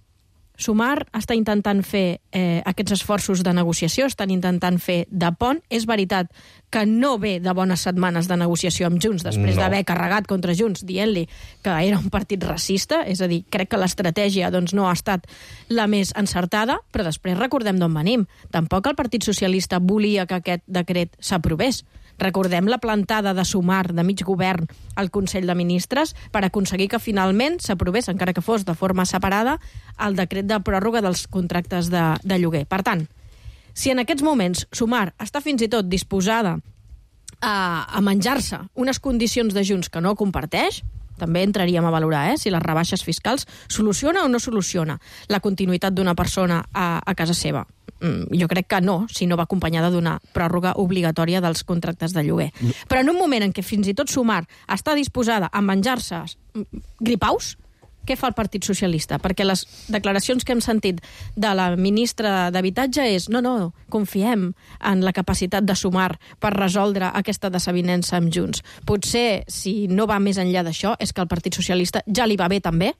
Sumar està intentant fer eh, aquests esforços de negociació, estan intentant fer de pont. És veritat que no ve de bones setmanes de negociació amb Junts, després no. d'haver carregat contra Junts, dient-li que era un partit racista, és a dir, crec que l'estratègia doncs, no ha estat la més encertada, però després recordem d'on venim. Tampoc el Partit Socialista volia que aquest decret s'aprovés. Recordem la plantada de Sumar, de mig govern, al Consell de Ministres, per aconseguir que finalment s'aprovés, encara que fos de forma separada, el decret de pròrroga dels contractes de, de lloguer. Per tant, si en aquests moments Sumar està fins i tot disposada a, a menjar-se unes condicions de Junts que no comparteix, també entraríem a valorar eh, si les rebaixes fiscals soluciona o no soluciona la continuïtat d'una persona a, a casa seva. Mm, jo crec que no, si no va acompanyada d'una pròrroga obligatòria dels contractes de lloguer. Però en un moment en què fins i tot Sumar està disposada a menjar-se gripaus, què fa el Partit Socialista? Perquè les declaracions que hem sentit de la ministra d'Habitatge és no, no, confiem en la capacitat de Sumar per resoldre aquesta desavinença amb Junts. Potser, si no va més enllà d'això, és que al Partit Socialista ja li va bé també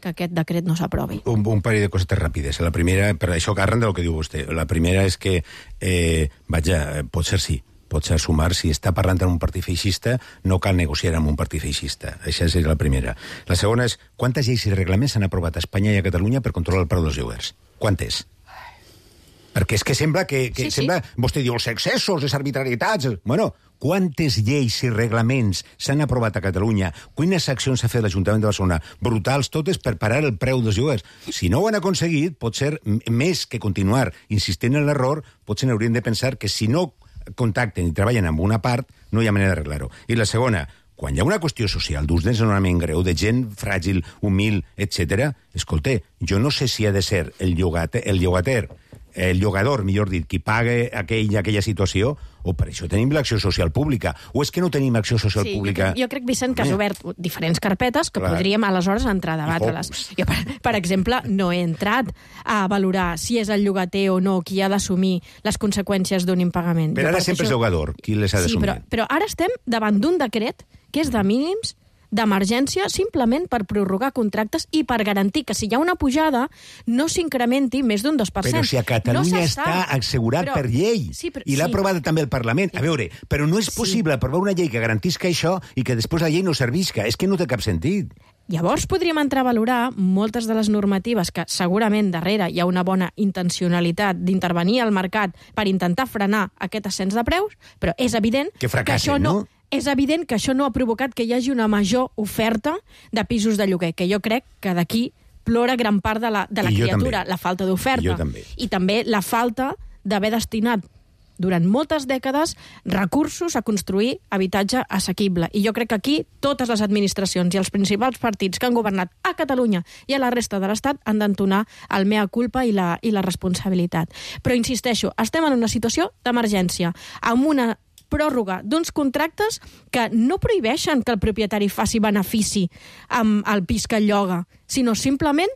que aquest decret no s'aprovi. Un, un parell de cosetes ràpides. La primera, per això que arran del que diu vostè, la primera és que, eh, vaja, pot ser sí, pot ser Sumar, si està parlant amb un partit feixista, no cal negociar amb un partit feixista. Això és la primera. La segona és, quantes lleis i reglaments s'han aprovat a Espanya i a Catalunya per controlar el preu dels lloguers? Quantes? Perquè és que sembla que... que sí, sembla, sí. Vostè diu els excessos, les arbitrarietats... Bueno, quantes lleis i reglaments s'han aprovat a Catalunya? Quines accions ha fet l'Ajuntament de Barcelona? Brutals totes per parar el preu dels lloguers. Si no ho han aconseguit, pot ser més que continuar insistint en l'error, potser haurien de pensar que si no contacten i treballen amb una part, no hi ha manera d'arreglar-ho. I la segona, quan hi ha una qüestió social d'ús desnonament greu, de gent fràgil, humil, etcètera, escolta, jo no sé si ha de ser el llogater, el llogater el llogador, millor dit, qui paga aquell, aquella situació, o per això tenim l'acció social pública, o és que no tenim acció social sí, pública... Jo, jo crec, Vicent, que has obert diferents carpetes que Clar. podríem aleshores entrar a debatre-les. Jo, per, per exemple, no he entrat a valorar si és el llogater o no qui ha d'assumir les conseqüències d'un impagament. Però ara sempre és llogador qui les ha d'assumir. Sí, però, però ara estem davant d'un decret que és de mínims d'emergència simplement per prorrogar contractes i per garantir que si hi ha una pujada no s'incrementi més d'un dos per cent. Però si a Catalunya no està assegurat però, per llei sí, però, i l'ha sí. aprovat també el Parlament. A veure, però no és possible sí. aprovar una llei que garantisca això i que després la llei no servisca. És que no té cap sentit. Llavors podríem entrar a valorar moltes de les normatives que segurament darrere hi ha una bona intencionalitat d'intervenir al mercat per intentar frenar aquest ascens de preus, però és evident que, fracassen, que això no... no? És evident que això no ha provocat que hi hagi una major oferta de pisos de lloguer, que jo crec que d'aquí plora gran part de la, de la criatura, també. la falta d'oferta. També. I també la falta d'haver destinat durant moltes dècades recursos a construir habitatge assequible. I jo crec que aquí totes les administracions i els principals partits que han governat a Catalunya i a la resta de l'Estat han d'entonar el mea culpa i la, i la responsabilitat. Però insisteixo, estem en una situació d'emergència, amb una pròrroga d'uns contractes que no prohibeixen que el propietari faci benefici amb el pis que lloga, sinó simplement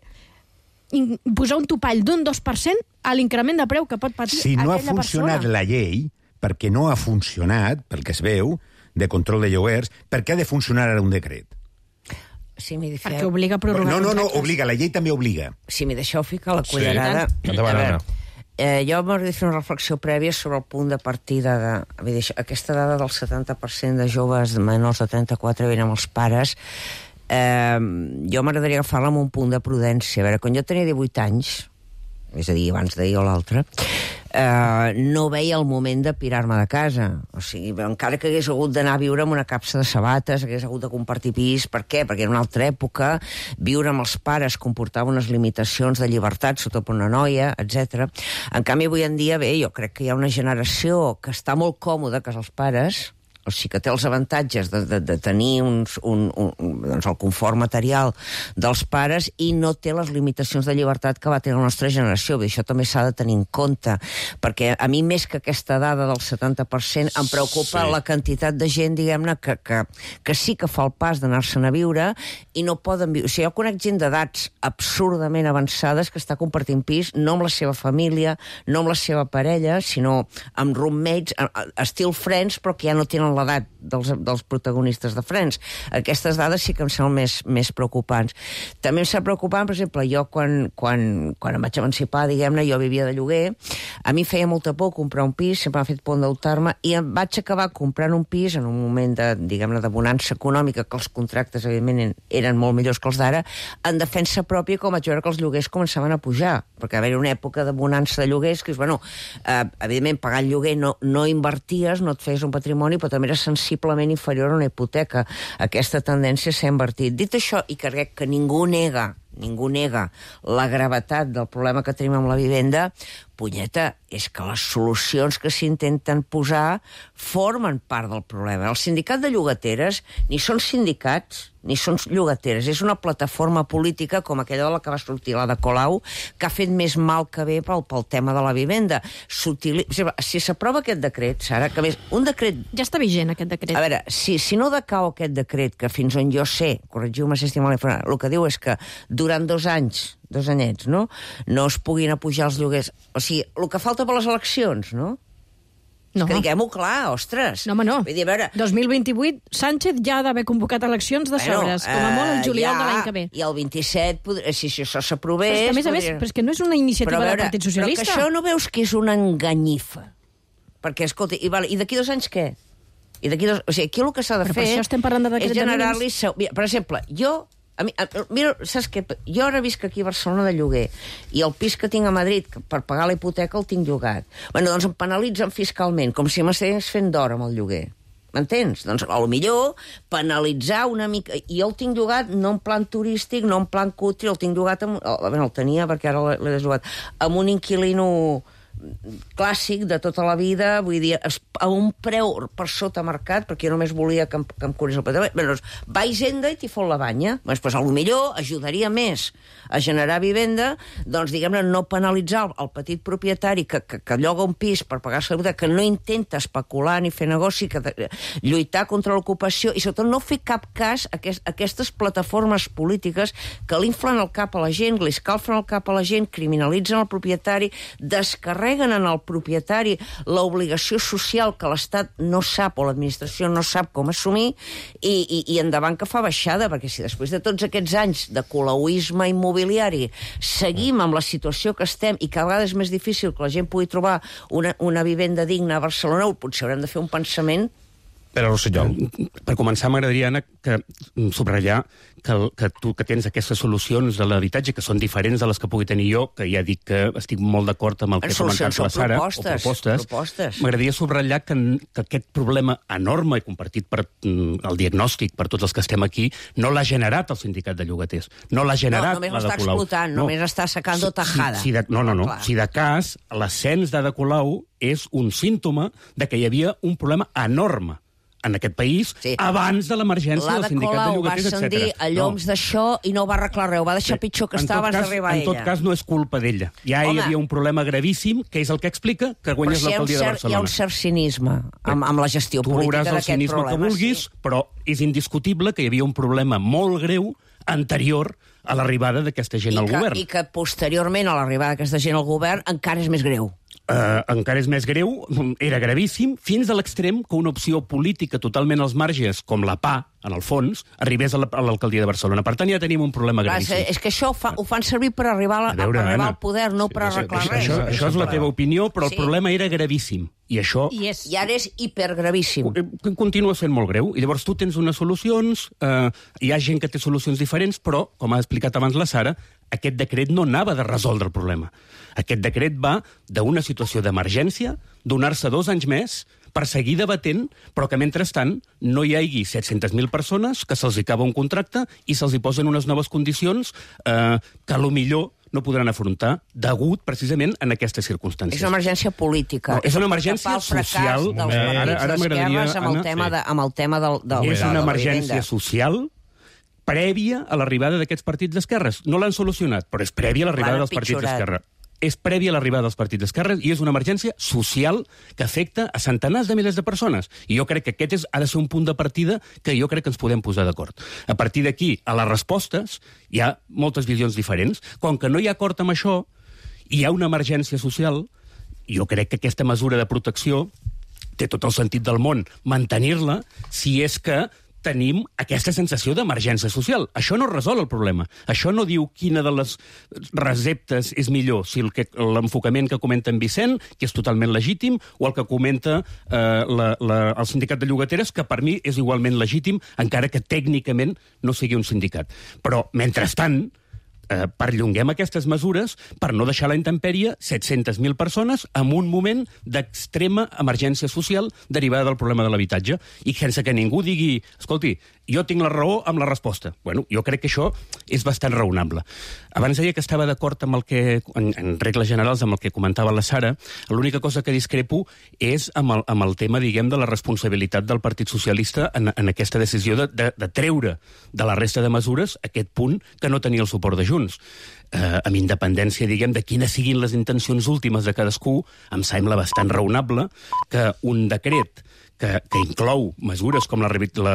posar un topall d'un dos per cent a l'increment de preu que pot patir si no aquella ha funcionat persona. La llei, perquè no ha funcionat, pel que es veu, de control de lloguers, per què ha de funcionar ara un decret? Si m'hi deixeu... Perquè obliga a prorrogar no, no, no, contractes. obliga, la llei també obliga. Si m'hi deixeu ficar la cullerada... Sí. Endavant, Anna. Eh, jo m'hauria de fer una reflexió prèvia sobre el punt de partida de... Vull dir, aquesta dada del setanta per cent de joves menors de trenta-quatre viuen amb els pares. Eh, jo m'agradaria agafar-la amb un punt de prudència. A veure, quan jo tenia divuit anys, és a dir, abans d'ahir o l'altre, eh, no veia el moment de pirar-me de casa. O sigui, encara que hagués hagut d'anar a viure amb una capsa de sabates, hagués hagut de compartir pis. Per què? Perquè era una altra època, viure amb els pares comportava unes limitacions de llibertat, sobretot per una noia, etcètera. En canvi, avui en dia, bé, jo crec que hi ha una generació que està molt còmoda a casa els pares, o sigui que té els avantatges de, de, de tenir uns, un, un, doncs el confort material dels pares i no té les limitacions de llibertat que va tenir la nostra generació. Bé, això també s'ha de tenir en compte, perquè a mi més que aquesta dada del setanta per cent em preocupa sí. la quantitat de gent, diguem-ne, que, que, que sí que fa el pas d'anar-se'n a viure i no poden viure. O sigui, jo conec gent d'edats absurdament avançades que està compartint pis, no amb la seva família, no amb la seva parella, sinó amb roommates, estil friends, però que ja no tenen en l'edat dels, dels protagonistes de Friends. Aquestes dades sí que em semblen més, més preocupants. També em sembla preocupant, per exemple, jo quan, quan, quan em vaig emancipar, diguem-ne, jo vivia de lloguer, a mi feia molta por comprar un pis, sempre m'ha fet por endeutar-me, i em vaig acabar comprant un pis en un moment de, diguem-ne, de bonança econòmica, que els contractes, evidentment, eren molt millors que els d'ara, en defensa pròpia, com vaig veure que els lloguers començaven a pujar, perquè va haver una època de bonança de lloguers que és, bueno, eh, evidentment, pagar el lloguer no, no inverties, no et feies un patrimoni, però també era sensiblement inferior a una hipoteca. Aquesta tendència s'ha invertit. Dit això, i crec que ningú nega ningú nega la gravetat del problema que tenim amb la vivenda, punyeta, és que les solucions que s'intenten posar formen part del problema. El sindicat de llogateres ni són sindicats ni són llogateres, és una plataforma política com aquella de la que va sortir, la de Colau, que ha fet més mal que bé pel, pel tema de la vivenda. Si s'aprova aquest decret, Sara, que més, un decret... Ja està vigent, aquest decret. A veure, si, si no decau aquest decret, que fins on jo sé, corregiu-me si estic mal informat, el que diu és que durant dos anys, dos anyets, no?, no es puguin apujar els lloguers. O sigui, el que falta per les eleccions, no? No. Que diguem-ho clar, ostres. No, home, no. Vull dir, a veure... dos mil vint-i-vuit, Sánchez ja ha d'haver convocat eleccions de bueno, sobres, com a molt el juliol ja, de l'any que ve. I el vint-i-set, podria, si això s'aprovés... Però és que, a més a més, podria... però és que no és una iniciativa veure, del Partit Socialista. Però que això no veus que és una enganyifa? Perquè, escolta, i, vale, i d'aquí dos anys què? I d'aquí dos... O sigui, aquí el que s'ha de però fer... Per això estem parlant de decret és generar-li... Per exemple, jo... A mi, a, mira, saps què? Jo ara visc aquí a Barcelona de lloguer i el pis que tinc a Madrid per pagar la hipoteca el tinc llogat. Bueno, doncs em penalitzen fiscalment, com si m'estigués fent d'or amb el lloguer. M'entens? Doncs, a lo millor, penalitzar una mica... I jo el tinc llogat no en plan turístic, no en plan cutri, el tinc llogat... Amb... Bé, el tenia, perquè ara l'he desllogat, amb un inquilino clàssic de tota la vida, vull dir, a un preu per sota mercat, perquè jo només volia que em, que em curés el patrimoni. Bé, doncs, va a Hisenda i t'hi fot la banya. Doncs, pues, a lo millor ajudaria més a generar vivenda, doncs, diguem-ne, no penalitzar el, el petit propietari que, que, que lloga un pis per pagar-se la hipoteca, que no intenta especular ni fer negoci, que de, lluitar contra l'ocupació, i sobretot no fer cap cas a aquest, a aquestes plataformes polítiques que l'inflen el cap a la gent, li escalfen el cap a la gent, criminalitzen el propietari, descarreguen en el propietari l'obligació social que l'Estat no sap o l'administració no sap com assumir, i, i, i endavant que fa baixada, perquè si després de tots aquests anys de colauisme immobiliari seguim amb la situació que estem i cada vegada és més difícil que la gent pugui trobar una, una vivenda digna a Barcelona, potser haurem de fer un pensament. Però, Rossinyol, per començar, m'agradaria, Anna, que subratllar que, que tu que tens aquestes solucions de l'habitatge que són diferents de les que pugui tenir jo, que ja dic que estic molt d'acord amb el que ha comentat la Sara, propostes, o propostes, propostes. M'agradaria subratllar que, que aquest problema enorme i compartit per el diagnòstic per tots els que estem aquí no l'ha generat el sindicat de llogaters, no l'ha generat no, l'Ada Colau. No, només l'està explotant, no. només està sacant tajada. Si, si de, no, no, no. Si de cas, l'ascens d'Ada Colau és un símptoma de que hi havia un problema enorme en aquest país, sí, abans de l'emergència del sindicat de llogaters, etcètera. L'Ada Colau va ascendir a lloms no. d'això i no va arreglar res, ho va deixar sí. pitjor que en estava abans d'arribar ella. En tot cas, no és culpa d'ella. Ja Home, hi havia un problema gravíssim, que és el que explica que guanyes si l'alcaldia de Barcelona. Hi ha un cert cinisme amb, amb la gestió tu política d'aquest problema. Tu veuràs el cinisme que vulguis, sí. però és indiscutible que hi havia un problema molt greu anterior a l'arribada d'aquesta gent I al que, govern. I que posteriorment a l'arribada d'aquesta gent al govern encara és més greu. Uh, encara és més greu, era gravíssim, fins a l'extrem que una opció política totalment als marges, com la P A, en el fons, arribés a l'alcaldia de Barcelona. Per tant, ja tenim un problema gravíssim. És que això ho, fa, ho fan servir per arribar, a, a veure, per arribar al poder, no per arreglar això, res. Això, això és la teva opinió, però sí. el problema era gravíssim. I això... I, és, I ara és hipergravíssim. Continua sent molt greu. I llavors tu tens unes solucions, eh, hi ha gent que té solucions diferents, però, com ha explicat abans la Sara, aquest decret no anava de resoldre el problema. Aquest decret va d'una situació d'emergència, donar-se dos anys més, per seguir debatent, però que mentrestant no hi hagi set-centes mil persones que se'ls acaba un contracte i se'ls hi posen unes noves condicions eh, que a lo millor no podran afrontar degut precisament en aquestes circumstàncies. És una emergència política. No, és una emergència social. Ara, ara m'agradaria, amb el tema, de, amb el tema del, del, és una emergència social prèvia a l'arribada d'aquests partits d'esquerres. No l'han solucionat, però és prèvia a l'arribada dels partits d'esquerra. És prèvia a l'arribada dels partits d'esquerres i és una emergència social que afecta a centenars de milers de persones. I jo crec que aquest és, ha de ser un punt de partida que jo crec que ens podem posar d'acord. A partir d'aquí, a les respostes, hi ha moltes visions diferents. Com que no hi ha acord amb això, hi ha una emergència social, jo crec que aquesta mesura de protecció té tot el sentit del món mantenir-la si és que tenim aquesta sensació d'emergència social. Això no resol el problema. Això no diu quina de les receptes és millor, si el que, l'enfocament que comenta en Vicent, que és totalment legítim, o el que comenta eh, la, la, el sindicat de llogateres, que per mi és igualment legítim, encara que tècnicament no sigui un sindicat. Però, mentrestant, eh, perllonguem aquestes mesures per no deixar a la intempèrie set-centes mil persones en un moment d'extrema emergència social derivada del problema de l'habitatge i sense que ningú digui, escolti, jo tinc la raó amb la resposta. Bueno, jo crec que això és bastant raonable. Abans deia que estava d'acord amb el que, en, en regles generals, amb el que comentava la Sara. L'única cosa que discrepo és amb el, amb el tema, diguem, de la responsabilitat del Partit Socialista en, en aquesta decisió de, de, de treure de la resta de mesures aquest punt que no tenia el suport de Junts. Eh, amb independència, diguem, de quines siguin les intencions últimes de cadascú, em sembla bastant raonable que un decret que, que inclou mesures com la, la